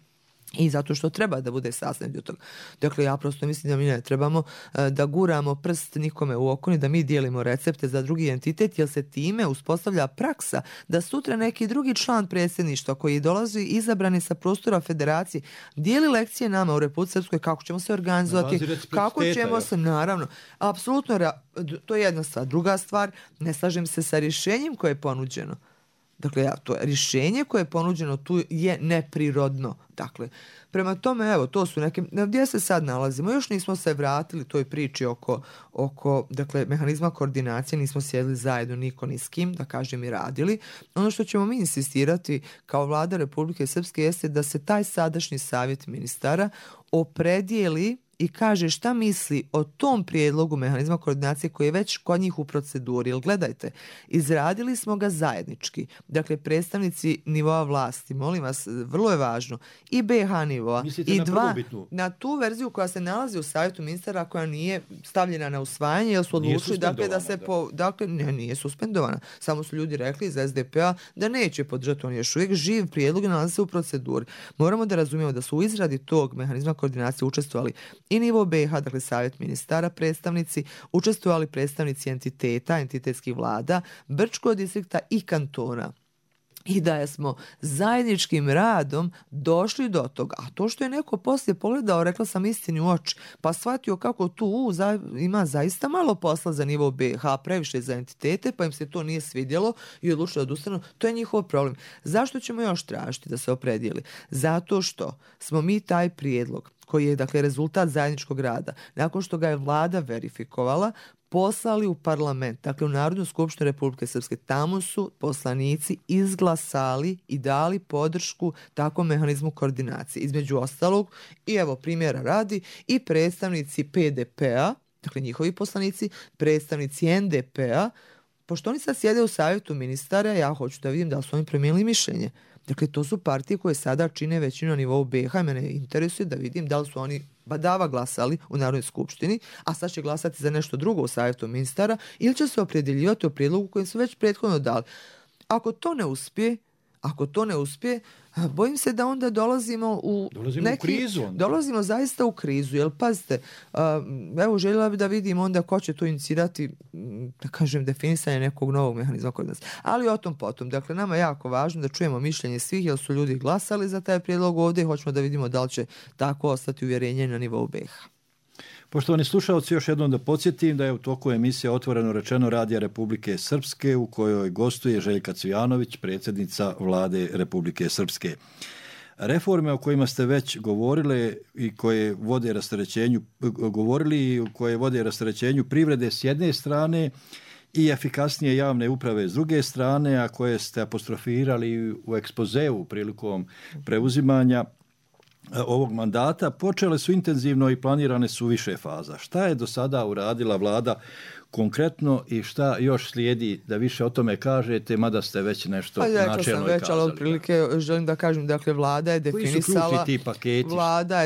i zato što treba da bude sastavni dio toga. Dakle, ja prosto mislim da mi ne trebamo da guramo prst nikome u oko, ni da mi dijelimo recepte za drugi entitet, jer se time uspostavlja praksa da sutra neki drugi član predsjedništva koji dolazi izabrani sa prostora federacije dijeli lekcije nama u Republici Srpskoj kako ćemo se organizovati, kako ćemo se, naravno, apsolutno, to je jedna stvar. Druga stvar, ne slažem se sa rješenjem koje je ponuđeno. Dakle, to rješenje koje je ponuđeno tu je neprirodno. Dakle, prema tome, evo, to su neke, gdje se sad nalazimo? Još nismo se vratili toj priči oko dakle, mehanizma koordinacije, nismo sjedili zajedno niko ni s kim, da kažem, i radili. Ono što ćemo mi insistirati kao vlada Republike Srpske jeste da se taj sadašnji savjet ministara opredijeli i kaže šta misli o tom prijedlogu mehanizma koordinacije koji je već kod njih u proceduri. Jer gledajte, izradili smo ga zajednički. Dakle, predstavnici nivoa vlasti, molim vas, vrlo je važno, i BiH nivoa, mislite i na tu verziju koja se nalazi u savjetu ministara koja nije stavljena na usvajanje, jer su odlučili dakle, da se nije suspendovana. Samo su ljudi rekli iz SDP-a da neće podržati, on još uvijek živ prijedlog i nalazi se u proceduri. Moramo da razumijemo da su u izradi tog mehanizma koordinacije učestvovali i nivo BiH, dakle savjet ministara, predstavnici, učestvovali predstavnici entiteta, entitetskih vlada, Brčkog distrikta i kantona. I da smo zajedničkim radom došli do toga. A to što je neko poslije pogledao, rekla sam istini u oči, pa shvatio kako tu ima zaista malo posla za nivo BiH, previše za entitete, pa im se to nije svidjelo i odlučili da odustanu, to je njihov problem. Zašto ćemo još tražiti da se opredijeli? Zato što smo mi taj prijedlog koji je, dakle, rezultat zajedničkog rada, nakon što ga je vlada verifikovala, poslali u parlament, dakle u Narodnu skupštinu Republike Srpske. Tamo su poslanici izglasali i dali podršku takvom mehanizmu koordinacije. Između ostalog, i evo primjera radi, i predstavnici PDP-a, dakle njihovi poslanici, predstavnici NDP-a, pošto oni sad sjede u savjetu ministara, ja hoću da vidim da li su oni promijenili mišljenje. Dakle, to su partije koje sada čine većinu na nivou BiH. Mene interesuje da vidim da li su oni badava glasali u Narodnoj skupštini, a sad će glasati za nešto drugo u savjetu ministara, ili će se opredjeljivati o prijedlogu kojem su već prethodno dali. Ako to ne uspije, bojim se da onda dolazimo u krizu. Dolazimo zaista u krizu, jer pazite, evo željela bi da vidim onda ko će to inicirati da kažem, definisanje nekog novog mehanizma kod nas. Ali o tom potom. Dakle, nama je jako važno da čujemo mišljenje svih, jer su ljudi glasali za taj prijedlog ovdje i hoćemo da vidimo da li će tako ostati uvjerenje na nivou BiH. Poštovani slušalci, još jednom da podsjetim da je u toku emisije Otvoreno rečeno Radija Republike Srpske, u kojoj gostuje Željka Cvijanović, predsjednica Vlade Republike Srpske. Reforme o kojima ste već govorili i koje vode rasterećenju privrede s jedne strane i efikasnije javne uprave s druge strane, a koje ste apostrofirali u ekspozeu prilikom preuzimanja ovog mandata, počele su intenzivno i planirane su više faza. Šta je do sada uradila vlada konkretno i šta još slijedi da više o tome kažete, mada ste već nešto načelno kazali? Ali otprilike želim da kažem, dakle, vlada je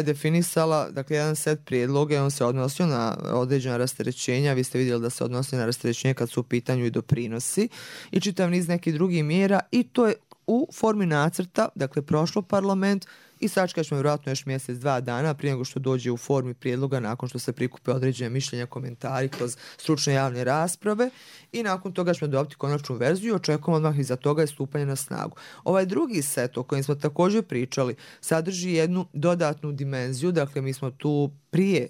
definisala dakle, jedan set prijedloga i on se odnosio na određena rasterećenja. Vi ste vidjeli da se odnosi na rasterećenje kad su u pitanju i doprinosi i čitav niz nekih drugih mjera i to je u formi nacrta, dakle, prošlo parlament i sačekat ćemo vjerojatno još mjesec, 2 dana prije nego što dođe u formi prijedloga nakon što se prikupe određene mišljenja, komentari kroz stručne javne rasprave i nakon toga ćemo dobiti konačnu verziju i očekujemo odmah iza toga je stupanje na snagu. Ovaj drugi set o kojem smo također pričali sadrži jednu dodatnu dimenziju, dakle mi smo tu prije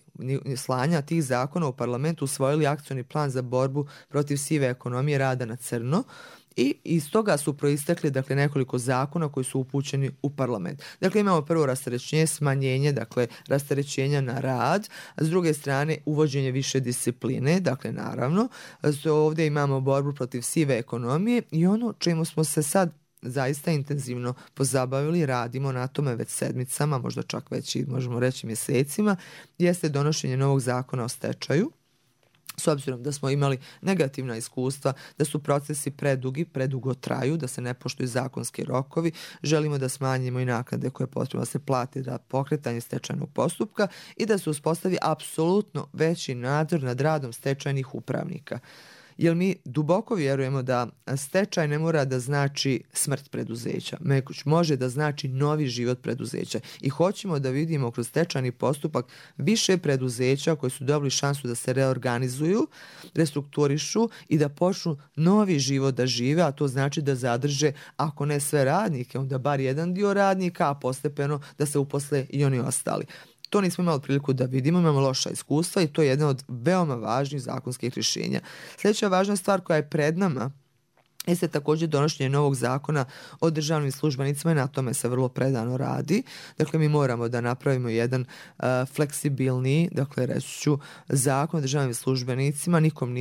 slanja tih zakona u parlamentu usvojili akcioni plan za borbu protiv sive ekonomije rada na crno. I iz toga su proistekli dakle, nekoliko zakona koji su upućeni u parlament. Dakle, imamo prvo rasterećenje, smanjenje, dakle, rasterećenja na rad, a s druge strane uvođenje više discipline, dakle, naravno, ovdje imamo borbu protiv sive ekonomije i ono čemu smo se sad zaista intenzivno pozabavili, radimo na tome već sedmicama, možda čak već i možemo reći mjesecima, jeste donošenje novog zakona o stečaju. S obzirom da smo imali negativna iskustva, da su procesi predugo traju, da se ne poštuju zakonski rokovi, želimo da smanjimo i naknade koje je potrebno da se plati za pokretanje stečajnog postupka i da se uspostavi apsolutno veći nadzor nad radom stečajnih upravnika. Jer mi duboko vjerujemo da stečaj ne mora da znači smrt preduzeća, može da znači novi život preduzeća i hoćemo da vidimo kroz stečajni postupak više preduzeća koji su dobili šansu da se reorganizuju, restrukturišu i da počnu novi život da žive, a to znači da zadrže, ako ne sve radnike, onda bar jedan dio radnika, a postepeno da se uposle i oni ostali. To nismo imali priliku da vidimo, imamo loša iskustva i to je jedna od veoma važnih zakonskih rješenja. Sljedeća važna stvar koja je pred nama jeste također donošenje novog zakona o državnim službenicima i na tome se vrlo predano radi. Dakle, mi moramo da napravimo jedan fleksibilni, dakle, reći ću, zakon o državnim službenicima.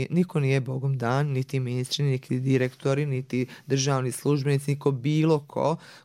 Niko nije bogom dan, niti ministri, niti direktori, niti državni službenici, niko bilo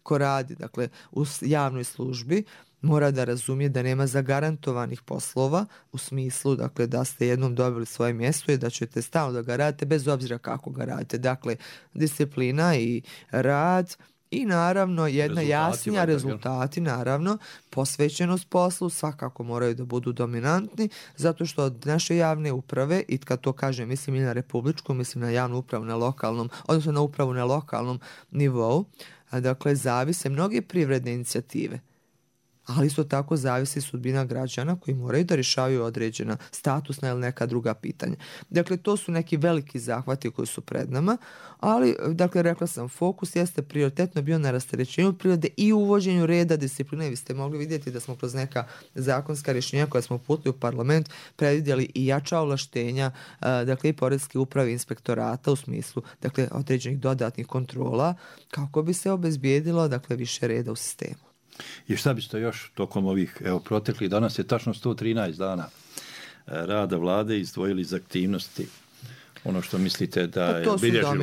ko radi, dakle, u javnoj službi. Mora da razumije da nema zagarantovanih poslova u smislu, dakle, da ste jednom dobili svoje mjesto i da ćete stalno da ga radite bez obzira kako ga radite. Dakle, disciplina i rad i naravno jedna jasnija rezultati, naravno, posvećenost poslu svakako moraju da budu dominantni zato što od naše javne uprave, i kad to kažem mislim i na republičku, mislim na javnu upravu na lokalnom, odnosno na upravu na lokalnom nivou, dakle, zavise mnoge privredne inicijative. Ali isto tako zavisi sudbina građana koji moraju da rješavaju određena statusna ili neka druga pitanja. Dakle, to su neki veliki zahvati koji su pred nama, ali, dakle, rekla sam, fokus jeste prioritetno bio na rasterećenju privrede i uvođenju reda, discipline. Vi ste mogli vidjeti da smo kroz neka zakonska rješenja koja smo uputili u parlament predvidjeli i jača ovlaštenja, dakle, i poreske uprave inspektorata u smislu, dakle, određenih dodatnih kontrola kako bi se obezbijedilo, dakle, više reda u sistemu. I šta biste još tokom ovih proteklih, danas je tačno 113 dana rada vlade izdvojili iz aktivnosti, ono što mislite da je bilježivo?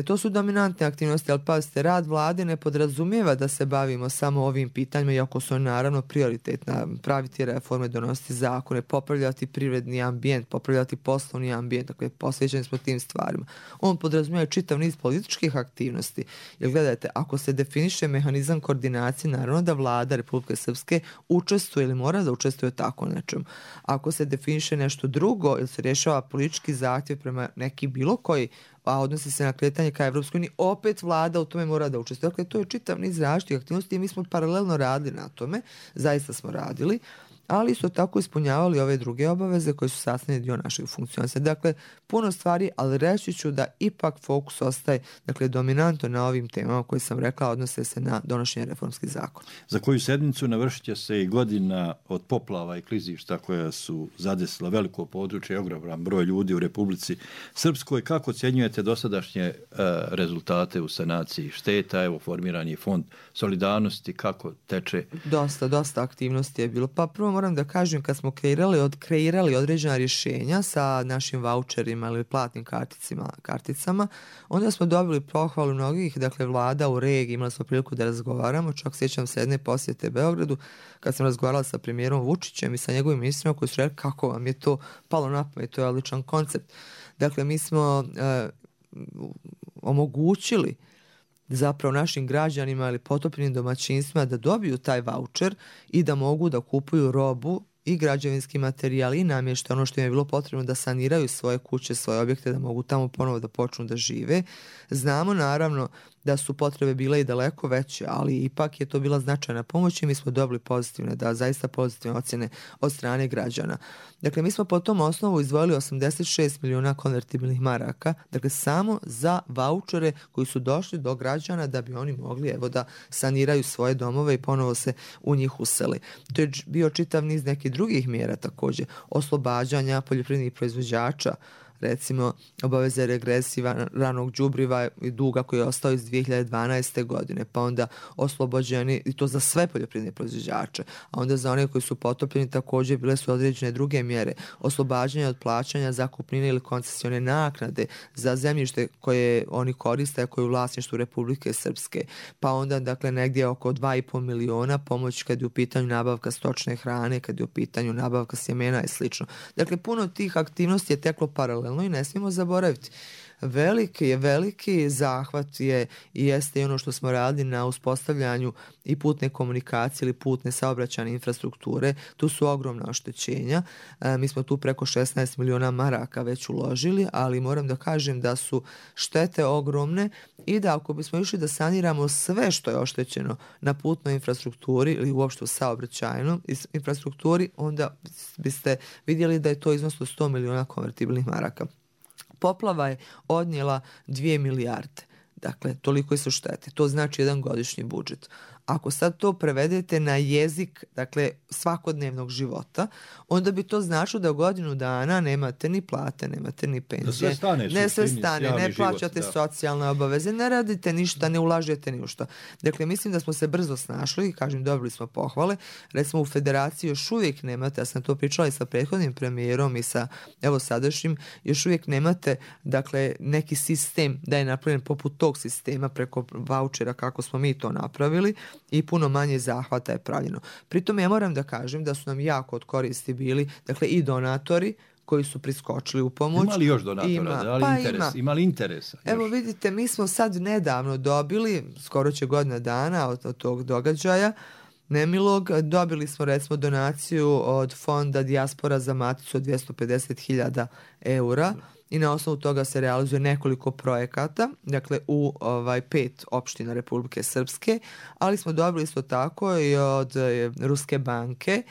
To su dominantne aktivnosti, ali pazite, rad vlade ne podrazumijeva da se bavimo samo ovim pitanjima, iako su naravno prioritetna, praviti reforme, donositi zakone, popravljati privredni ambijent, popravljati poslovni ambijent, dakle, posvećeni smo tim stvarima. On podrazumijeva čitav niz političkih aktivnosti, jer gledajte, ako se definiše mehanizam koordinacije, naravno da vlada Republike Srpske učestvuje ili mora da učestvuje tako nečem. Ako se definiše nešto drugo ili se rješava politički zahtjev prema neki bilo koji, a odnosi se na kretanje ka Evropskoj uniji, opet vlada u tome mora da učestvuje. Dakle, to je čitav niz različitih aktivnosti i mi smo paralelno radili na tome, zaista smo radili ali isto tako ispunjavali ove druge obaveze koje su sastavni dio našeg funkcionisanja. Dakle, puno stvari, ali reći ću da ipak fokus ostaje dominantno na ovim temama koje sam rekla, odnose se na donošenje reformskih zakona. Za koju sedmicu navršit će se i godina od poplava i klizišta koja su zadesila veliko područje i ogroman broj ljudi u Republici Srpskoj. Kako ocjenjujete dosadašnje rezultate u sanaciji šteta? Evo, formiran je fond solidarnosti, kako teče? Dosta aktivnosti je bilo. Pa prvo moram da kažem, kad smo kreirali određena rješenja sa našim vaučerima ili platnim karticama, onda smo dobili pohvalu mnogih, vlada u regiji, imali smo priliku da razgovaramo, čak sjećam se jedne posjete Beogradu, kad sam razgovarala sa premijerom Vučićem i sa njegovim ministrima koji su rekli kako vam je to palo na pamet, to je odličan koncept. Dakle, mi smo omogućili zapravo našim građanima ili potopljenim domaćinstvima da dobiju taj vaučer i da mogu da kupuju robu i građevinski materijal i namještaj, ono što im je bilo potrebno da saniraju svoje kuće, svoje objekte, da mogu tamo ponovo da počnu da žive. Znamo naravno da su potrebe bile i daleko veće, ali ipak je to bila značajna pomoć i mi smo dobili zaista pozitivne ocjene od strane građana. Dakle, mi smo po tom osnovu izdvojili 86 miliona konvertibilnih maraka, dakle samo za vaučere koji su došli do građana da bi oni mogli da saniraju svoje domove i ponovo se u njih useli. To je bio čitav niz nekih drugih mjera također, oslobađanja poljoprivrednih proizvođača, recimo obaveze regresija ranog đubriva i duga koji je ostao iz 2012. godine, pa onda oslobođeni, i to za sve poljoprivredne proizvođače, a onda za one koji su potopljeni također bile su određene druge mjere, oslobađanja od plaćanja zakupnine ili koncesione naknade za zemljište koje oni koriste, a koje je u vlasništvu Republike Srpske, pa onda negdje oko 2,5 miliona pomoć kad je u pitanju nabavka stočne hrane, kad je u pitanju nabavka sjemena i slično. Dakle, puno tih aktivnosti je teklo paralelno i ne smijemo zaboraviti. Veliki zahvat je i jeste i ono što smo radili na uspostavljanju i putne komunikacije ili putne saobraćajne infrastrukture. Tu su ogromna oštećenja. Mi smo tu preko 16 miliona maraka već uložili, ali moram da kažem da su štete ogromne i da ako bismo išli da saniramo sve što je oštećeno na putnoj infrastrukturi ili uopšte u saobraćajnoj infrastrukturi, onda biste vidjeli da je to iznos od 100 miliona konvertibilnih maraka. Poplava je odnijela 2 milijarde. Dakle, toliko su štete. To znači jedan godišnji budžet. Ako sad to prevedete na jezik, dakle, svakodnevnog života, onda bi to značilo da u godinu dana nemate ni plate, nemate ni penzije. Sve stane, ne plaćate socijalne obaveze, ne radite ništa, ne ulažete ni u što. Dakle, mislim da smo se brzo snašli i kažem, dobili smo pohvale. Recimo, u federaciji još uvijek nemate, ja sam to pričala i sa prethodnim premijerom i sa, sadašnjim, još uvijek nemate, neki sistem da je napravljen poput tog sistema preko vaučera kako smo mi to napravili, i puno manje zahvata je pravljeno. Pritom ja moram da kažem da su nam jako od koristi bili, i donatori koji su priskočili u pomoć. Ima li još donatora? Ima li interesa? Evo vidite, mi smo sad nedavno dobili, skoro će godina dana od tog događaja, nemilog, dobili smo recimo donaciju od fonda Dijaspora za Maticu od 250.000 eura. I na osnovu toga se realizuje nekoliko projekata, u 5 opština Republike Srpske, ali smo dobili isto tako i od Ruske banke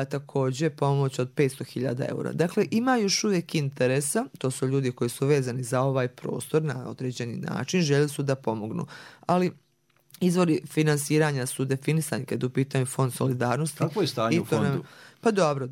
također pomoć od 500.000 eura. Dakle, ima još uvijek interesa, to su ljudi koji su vezani za ovaj prostor na određeni način, željeli su da pomognu, ali izvori finansiranja su definisani kad u pitanju fond solidarnosti. Kako je stanje u fondu? Pa dobro,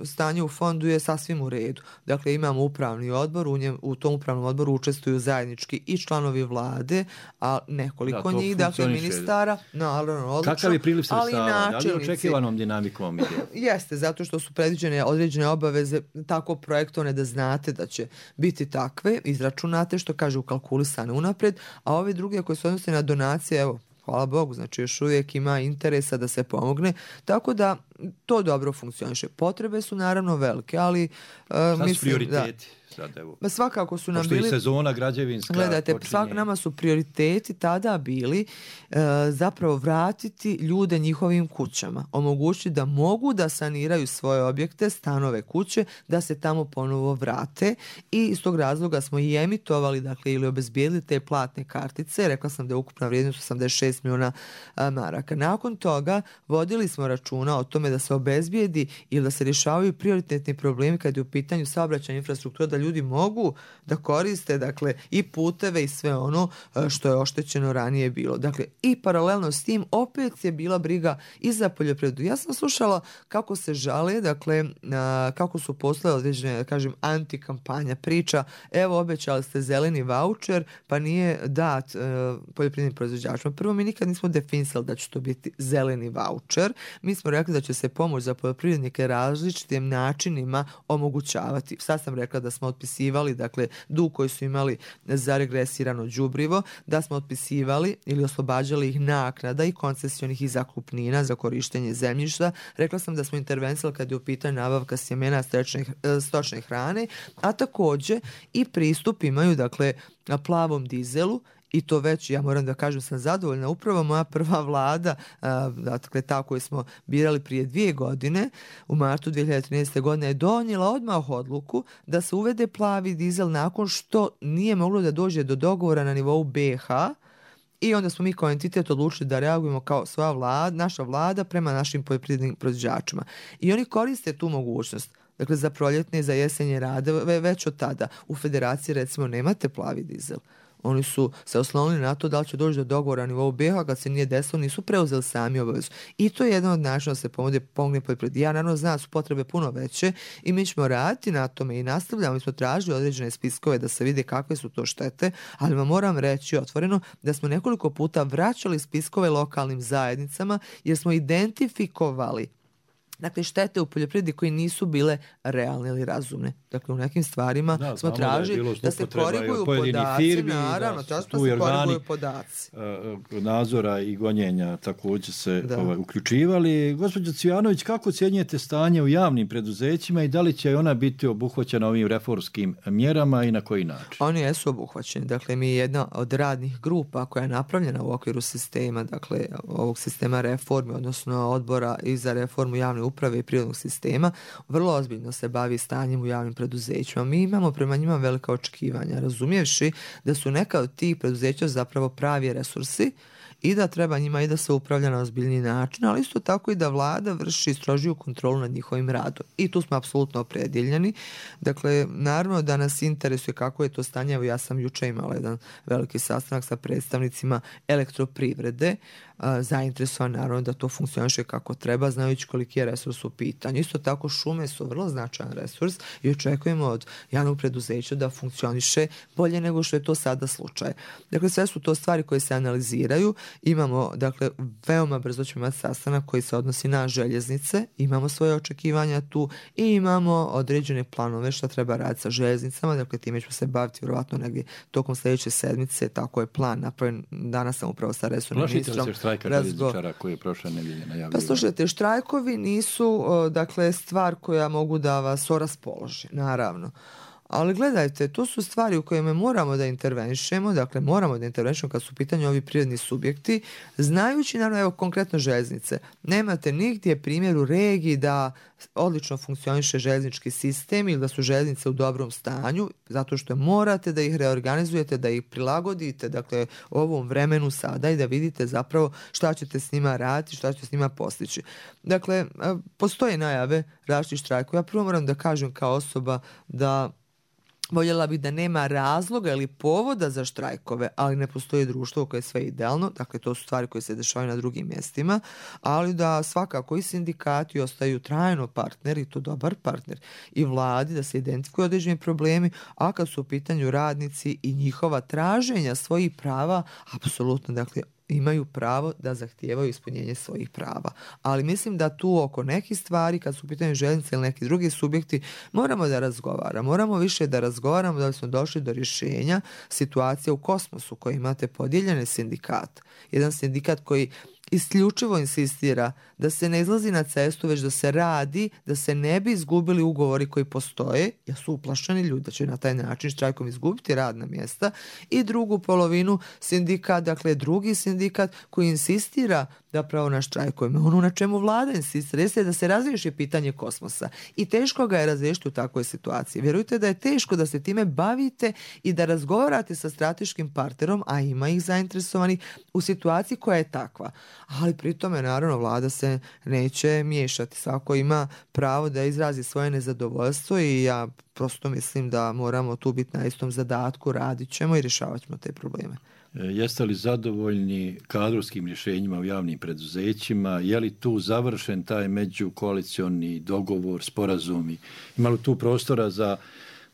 stanje u fondu je sasvim u redu. Imamo upravni odbor, u tom upravnom odboru učestvuju zajednički i članovi vlade, a nekoliko njih, ministara, naravno, odlično. Kakav je priliv sredstava? Da li očekivanom dinamikom ide? Jeste, zato što su predviđene određene obaveze tako projektovane da znate da će biti takve, izračunate, što kaže ukalkulisane unapred, a ove druge koje se odnose na donacije, hvala Bogu, još uvijek ima interesa da se pomogne, tako da to dobro funkcioniše. Potrebe su naravno velike, ali mislim prioriteti? sad, evo. Svakako su nam pošto bili... i sezona građevinska Gledajte, počinje. nama su prioriteti tada bili zapravo vratiti ljude njihovim kućama. Omogućiti da mogu da saniraju svoje objekte, stanove, kuće, da se tamo ponovo vrate i iz tog razloga smo i emitovali, dakle, ili obezbijedili te platne kartice. Rekla sam da je ukupna vrijednost 86 milijuna maraka. Nakon toga vodili smo računa o tome da se obezbijedi ili da se rješavaju prioritetni problemi kad je u pitanju saobraćajna infrastruktura, da ljudi mogu da koriste, dakle, i puteve i sve ono što je oštećeno ranije bilo. Dakle, i paralelno s tim opet je bila briga i za poljoprivredu. Ja sam slušala kako se žale, dakle, kako su poslale određene, da kažem, antikampanja, priča, evo, obećali ste zeleni vaučer, pa nije dat poljoprivrednim proizvođačima. Prvo, mi nikad nismo definisali da će to biti zeleni vaučer. Mi smo rekli da će se pomoć za poljoprivrednike različitim načinima omogućavati. Sad sam rekla da smo otpisivali, dakle, dug koji su imali za regresirano đubrivo, da smo otpisivali ili oslobađali ih naknada i koncesionih i zakupnina za korištenje zemljišta. Rekla sam da smo intervenisali kad je u pitanju nabavka sjemena stočne hrane, a također i pristup imaju, dakle, plavom dizelu. I to već, ja moram da kažem, sam zadovoljna. Upravo moja prva vlada, dakle ta koju smo birali prije 2 godine, u martu 2013. godine, je donijela odmah odluku da se uvede plavi dizel nakon što nije moglo da dođe do dogovora na nivou BiH. I onda smo mi kao entitet odlučili da reagujemo kao svoja vlada, naša vlada prema našim poljoprivrednim proizvođačima. I oni koriste tu mogućnost. Dakle, za proljetne i za jesenje radove već od tada. U federaciji, recimo, nemate plavi dizel. Oni su se oslonili na to da li će doći do dogovora na nivou BiH, kad se nije desilo, nisu preuzeli sami obavezu. I to je jedan od načina da se pomogne poljoprivredi. Ja naravno znam da su potrebe puno veće i mi ćemo raditi na tome i nastavljamo. Mi smo tražili određene spiskove da se vide kakve su to štete, ali vam moram reći otvoreno da smo nekoliko puta vraćali spiskove lokalnim zajednicama jer smo identifikovali, dakle, štete u poljoprivredi koje nisu bile realne ili razumne. Dakle, u nekim stvarima smo tražili da se koriguju podaci, firmi, naravno, da se koriguju podaci. Nadzora i gonjenja također se uključivali. Gospođo Cvijanović, kako ocjenjujete stanje u javnim preduzećima i da li će ona biti obuhvaćena ovim reformskim mjerama i na koji način? Oni jesu obuhvaćeni. Dakle, mi je jedna od radnih grupa koja je napravljena u okviru sistema, dakle, ovog sistema reforme, odnosno odbora i za reformu javne uprave i prirodnog sistema, vrlo ozbiljno se bavi stanjem u javnim preduzećima. Mi imamo prema njima velika očekivanja, razumijevši da su neka od tih preduzeća zapravo pravi resursi i da treba njima i da se upravlja na ozbiljni način, ali isto tako i da vlada vrši strožiju kontrolu nad njihovim radom. I tu smo apsolutno opredjeljeni. Dakle, naravno da nas interesuje kako je to stanje. Evo, ja sam jučer imala jedan veliki sastanak sa predstavnicima elektroprivrede, zainteresovan naravno da to funkcioniše kako treba, znajući koliki je resurs u pitanju. Isto tako, šume su vrlo značajan resurs i očekujemo od javnog preduzeća da funkcioniše bolje nego što je to sada slučaj. Dakle, sve su to stvari koje se analiziraju. Imamo, dakle, veoma brzo ćemo imati sastanak koji se odnosi na željeznice, imamo svoje očekivanja tu i imamo određene planove šta treba raditi sa željeznicama, dakle, time ćemo se baviti vjerovatno negdje tokom sljedeće sedmice, tako je plan napravljen. Danas sam upravo sa resornim ministrom. Štrajka željezničara koji je prošle nedelje najavio. Pa slušajte, štrajkovi nisu, dakle, stvar koja mogu da vas oraspoloži, naravno. Ali gledajte, to su stvari u kojima moramo da intervenišemo, dakle moramo da intervenišemo kad su u pitanju ovi prirodni subjekti, znajući, naravno, evo konkretno željeznice. Nemate nigdje primjer u regiji da odlično funkcioniše željeznički sistem ili da su željeznice u dobrom stanju, zato što morate da ih reorganizujete, da ih prilagodite, dakle, ovom vremenu sada i da vidite zapravo šta ćete s njima raditi, šta ćete s njima postići. Dakle, postoje najave različitih štrajkova. Ja prvo moram da kažem kao osoba da voljela bih da nema razloga ili povoda za štrajkove, ali ne postoji društvo koje je sve idealno, dakle to su stvari koje se dešavaju na drugim mjestima, ali da svakako i sindikati ostaju trajno partner i to dobar partner i vladi da se identifikuju određeni problemi, a kad su u pitanju radnici i njihova traženja svojih prava, apsolutno, dakle, imaju pravo da zahtijevaju ispunjenje svojih prava. Ali mislim da tu oko nekih stvari, kad su u pitanju željeznice ili neki drugi subjekti, moramo da razgovaramo. Moramo više da razgovaramo da bismo došli do rješenja situacije u kosmosu koji imate podijeljene sindikate. Jedan sindikat koji isključivo insistira da se ne izlazi na cestu, već da se radi, da se ne bi izgubili ugovori koji postoje, jer su uplašeni ljudi da će na taj način štrajkom izgubiti radna mjesta, i drugu polovinu sindikat, dakle drugi sindikat koji insistira zapravo na štrajkovima. Ono na čemu vlada insistira jeste da se razriješi pitanje kosmosa i teško ga je razriješiti u takvoj situaciji. Vjerujte da je teško da se time bavite i da razgovarate sa strateškim partnerom, a ima ih zainteresovanih u situaciji koja je takva. Ali pri tome naravno vlada se neće miješati. Svako ima pravo da izrazi svoje nezadovoljstvo i ja prosto mislim da moramo tu biti na istom zadatku, radit ćemo i rješavat ćemo te probleme. Jeste li zadovoljni kadrovskim rješenjima u javnim preduzećima? Je li tu završen taj međukoalicioni dogovor, sporazumi? Ima li tu prostora za,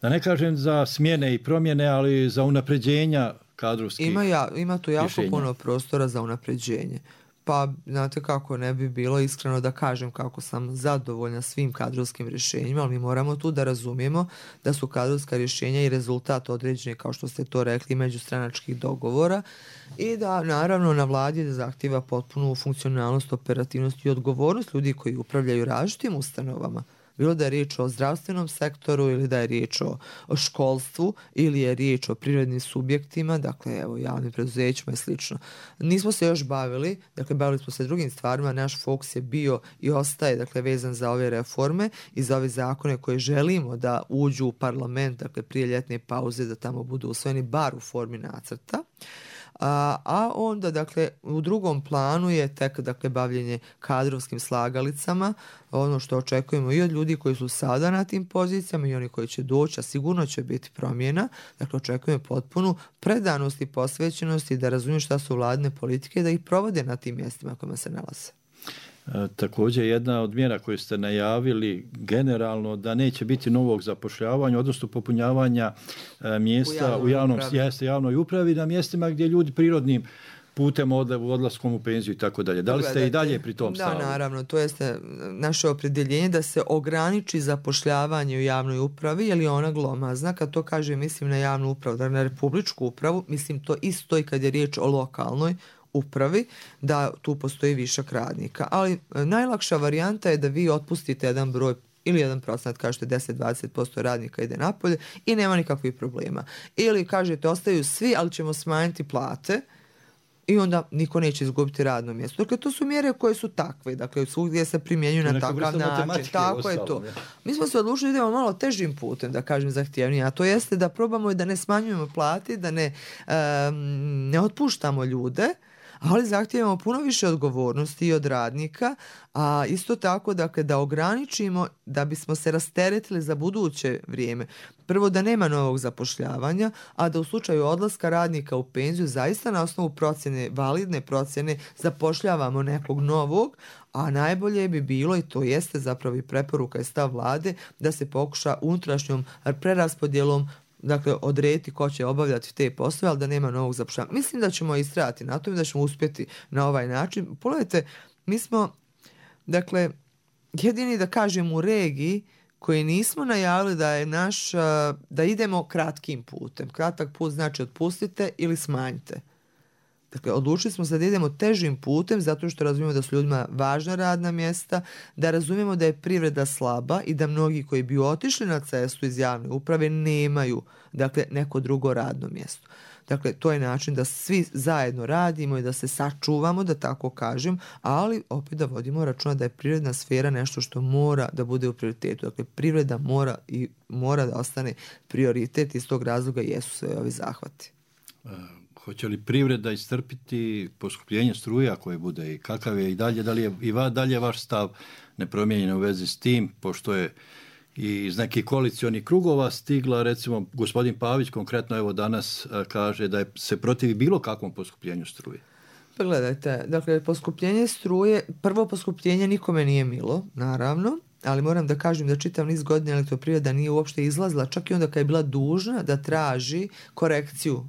da ne kažem za smjene i promjene, ali za unapređenja kadrovskih Ima tu jako rješenja? puno prostora za unapređenje. Pa, znate kako, ne bi bilo iskreno da kažem kako sam zadovoljna svim kadrovskim rješenjima, ali mi moramo tu da razumijemo da su kadrovska rješenja i rezultat određeni, kao što ste to rekli, međustranačkih dogovora i da naravno na vladi da zahtjeva potpunu funkcionalnost, operativnost i odgovornost ljudi koji upravljaju različitim ustanovama. Bilo da je riječ o zdravstvenom sektoru ili da je riječ o školstvu ili je riječ o privrednim subjektima, dakle evo javnim preduzećima i slično. Nismo se još bavili, dakle bavili smo se drugim stvarima, naš fokus je bio i ostaje dakle vezan za ove reforme i za ove zakone koje želimo da uđu u parlament, dakle prije ljetne pauze da tamo budu usvojeni bar u formi nacrta. A onda, dakle, u drugom planu je tek, dakle, bavljenje kadrovskim slagalicama, ono što očekujemo i od ljudi koji su sada na tim pozicijama i oni koji će doći, a sigurno će biti promjena. Dakle, očekujemo potpunu predanost i posvećenost i da razumiju šta su vladine politike i da ih provode na tim mjestima kojima se nalaze. Također jedna od mjera koje ste najavili generalno da neće biti novog zapošljavanja, odnosno popunjavanja mjesta u javnoj upravi na mjestima gdje ljudi prirodnim putem odlaskom u penziju i tako dalje. Da li ste i dalje pri tom stavu? Da, naravno. To jeste naše opredjeljenje da se ograniči zapošljavanje u javnoj upravi, jer je ona glomazna. Kad to kaže, mislim na javnu upravu, da na republičku upravu, mislim to isto i kad je riječ o lokalnoj upravi, da tu postoji višak radnika. Ali najlakša varijanta je da vi otpustite jedan broj ili 1%, kažete 10-20% radnika ide napolje i nema nikakvih problema. Ili kažete ostaju svi, ali ćemo smanjiti plate i onda niko neće izgubiti radno mjesto. Dakle, to su mjere koje su takve, dakle, svugdje se primjenjuju na takav način. Tako je to. Mi smo se odlučili da idemo malo težim putem, da kažem zahtjevnije, a to jeste da probamo i da ne smanjujemo plati, da ne otpuštamo ljude, ali zahtijevamo puno više odgovornosti i od radnika, a isto tako dakle, da ograničimo da bismo se rasteretili za buduće vrijeme. Prvo da nema novog zapošljavanja, a da u slučaju odlaska radnika u penziju zaista na osnovu procjene, validne procjene, zapošljavamo nekog novog, a najbolje bi bilo, i to jeste zapravo i preporuka i stav vlade, da se pokuša unutrašnjom preraspodjelom dakle, odrediti ko će obavljati te poslove, ali da nema novog zapošljavanja. Mislim da ćemo istrajati na tome, da ćemo uspjeti na ovaj način. Pogledajte, mi smo, dakle, jedini da kažem u regiji koji nismo najavili da je da idemo kratkim putem. Kratak put znači otpustite ili smanjite. Dakle, odlučili smo se da idemo težim putem zato što razumijemo da su ljudima važna radna mjesta, da razumijemo da je privreda slaba i da mnogi koji bi otišli na cestu iz javne uprave nemaju, dakle, neko drugo radno mjesto. Dakle, to je način da svi zajedno radimo i da se sačuvamo, da tako kažem, ali opet da vodimo računa da je privredna sfera nešto što mora da bude u prioritetu. Dakle, privreda mora da ostane prioritet, iz tog razloga jesu sve ovi zahvati. Hoće li privreda istrpiti poskupljenje struje koje bude i kakav je i dalje, da li je i dalje vaš stav nepromijenjen u vezi s tim, pošto je i iz nekih koalicionih krugova stigla, recimo gospodin Pavić konkretno evo danas kaže da se protivi bilo kakvom poskupljenju struje. Pogledajte, dakle, poskupljenje struje, prvo poskupljenje nikome nije milo, naravno, ali moram da kažem da čitav niz godina elektroprivreda nije uopšte izlazila, čak i onda kad je bila dužna da traži korekciju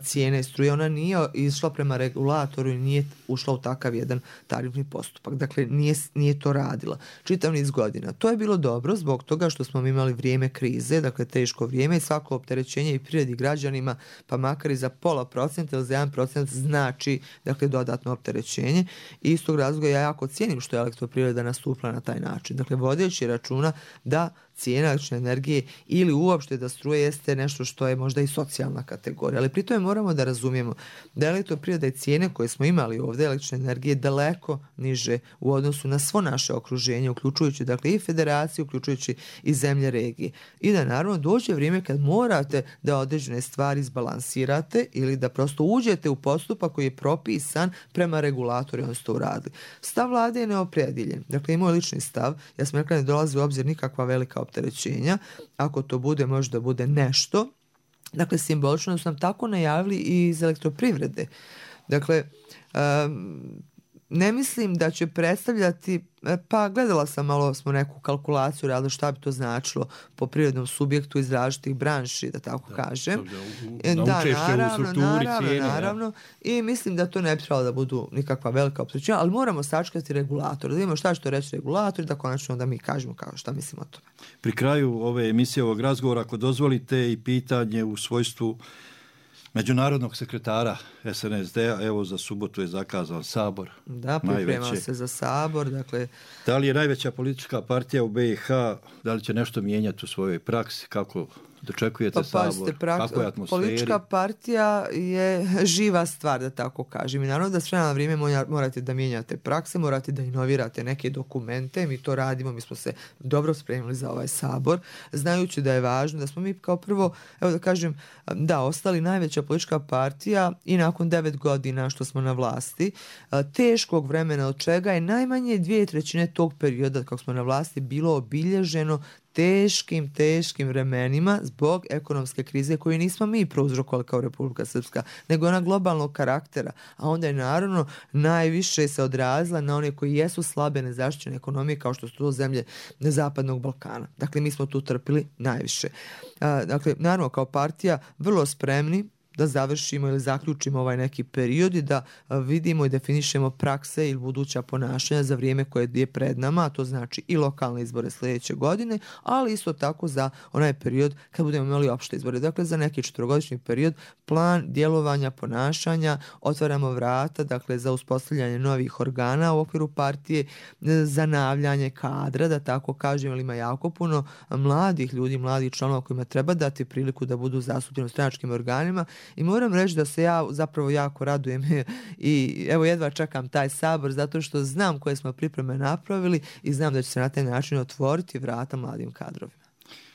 cijene struje. Ona nije išla prema regulatoru i nije ušla u takav jedan tarifni postupak. Dakle, nije to radila čitav niz godina. To je bilo dobro zbog toga što smo imali vrijeme krize, dakle teško vrijeme i svako opterećenje i privredi građanima, pa makar i za 0,5% ili za 1% znači dakle dodatno opterećenje. I iz tog razloga ja jako cijenim što je Elektroprivreda nastupila na taj način. Dakle, vodeći računa da cijena električne energije ili uopšte da struje jeste nešto što je možda i socijalna kategorija. Ali pri tome moramo da razumijemo da Elektroprivreda i cijene koje smo imali ovdje električne energije daleko niže u odnosu na svo naše okruženje, uključujući dakle i federaciju, uključujući i zemlje regije. I da naravno dođe vrijeme kad morate da određene stvari izbalansirate ili da prosto uđete u postupak koji je propisan prema regulatoru i on ste to uradili. Stav vlade je neopredjeljen. Dakle, i moj lični stav, ja sam rekla ne dolazi u obzir nikakva velika opterećenja. Ako to bude, možda bude nešto. Dakle, simbolično su nam tako najavili i iz Elektroprivrede. Dakle, ne mislim da će predstavljati, pa gledala sam malo smo neku kalkulaciju radila šta bi to značilo po privrednom subjektu iz različitih branši, da tako kažem. Naravno. I mislim da to ne bi trebalo da budu nikakva velika opterećenja, ali moramo sačekati regulator, da vidimo šta će to reći regulator i da konačno da mi kažemo šta mislimo o tome. Pri kraju ove emisije, ovog razgovora, ako dozvolite i pitanje u svojstvu međunarodnog sekretara SNSD-a, evo za subotu je zakazan Sabor. Da, priprema se za Sabor. Dakle, da li je najveća politička partija u BiH, da li će nešto mijenjati u svojoj praksi, kako dočekujete Sabor, kako je atmosferi? Politička partija je živa stvar, da tako kažem. I naravno da s vremena na vrijeme morate da mijenjate prakse, morate da inovirate neke dokumente. Mi to radimo, mi smo se dobro spremili za ovaj Sabor, znajući da je važno da smo mi kao prvo, evo da kažem, ostali najveća politička partija i nakon 9 godina što smo na vlasti, teškog vremena od čega je najmanje 2/3 tog perioda kako smo na vlasti bilo obilježeno teškim vremenima zbog ekonomske krize koju nismo mi prouzrokovali kao Republika Srpska, nego ona globalnog karaktera, a onda je naravno najviše se odrazila na one koji jesu slabe nezaštićene ekonomije kao što su to zemlje Zapadnog Balkana. Dakle, mi smo tu trpili najviše. Dakle, naravno kao partija vrlo spremni da završimo ili zaključimo ovaj neki period i da vidimo i definišemo prakse ili buduća ponašanja za vrijeme koje je pred nama, a to znači i lokalne izbore sljedeće godine, ali isto tako za onaj period kad budemo imali opšte izbore. Dakle, za neki 4-godišnji period plan djelovanja, ponašanja, otvaramo vrata, dakle, za uspostavljanje novih organa u okviru partije, zanavljanje kadra, da tako kažem, ali ima jako puno mladih ljudi, mladih članova kojima treba dati priliku da budu zastupljeni u stranačkim organima. I moram reći da se ja zapravo jako radujem i evo jedva čekam taj Sabor zato što znam koje smo pripreme napravili i znam da će se na taj način otvoriti vrata mladim kadrovima.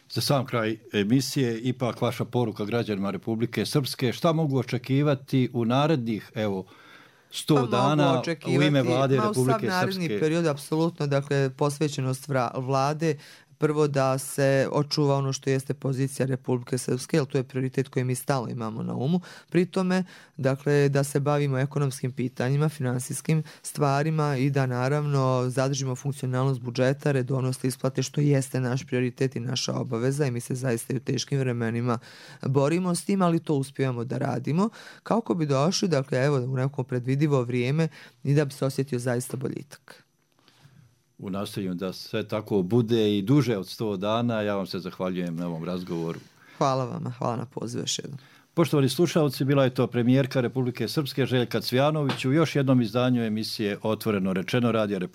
Za sam kraj emisije, ipak vaša poruka građanima Republike Srpske, šta mogu očekivati u narednih 100 dana u ime vlade Republike Srpske? Sav naredni period, apsolutno, dakle, posvećenost vlade, prvo da se očuva ono što jeste pozicija Republike Srpske, jer to je prioritet koji mi stalno imamo na umu. Pri tome, dakle, da se bavimo ekonomskim pitanjima, finansijskim stvarima i da naravno zadržimo funkcionalnost budžeta, redovnost isplate, što jeste naš prioritet i naša obaveza i mi se zaista i u teškim vremenima borimo s tim, ali to uspijemo da radimo kako bi došli, dakle, evo, u neko predvidivo vrijeme i da bi se osjetio zaista boljitak. U nastojanju da sve tako bude i duže od 100 dana. Ja vam se zahvaljujem na ovom razgovoru. Hvala vama, hvala na pozivu još jednom. Poštovani slušalci, bila je to premijerka Republike Srpske Željka Cvjanović u još jednom izdanju emisije Otvoreno rečeno Radija Republike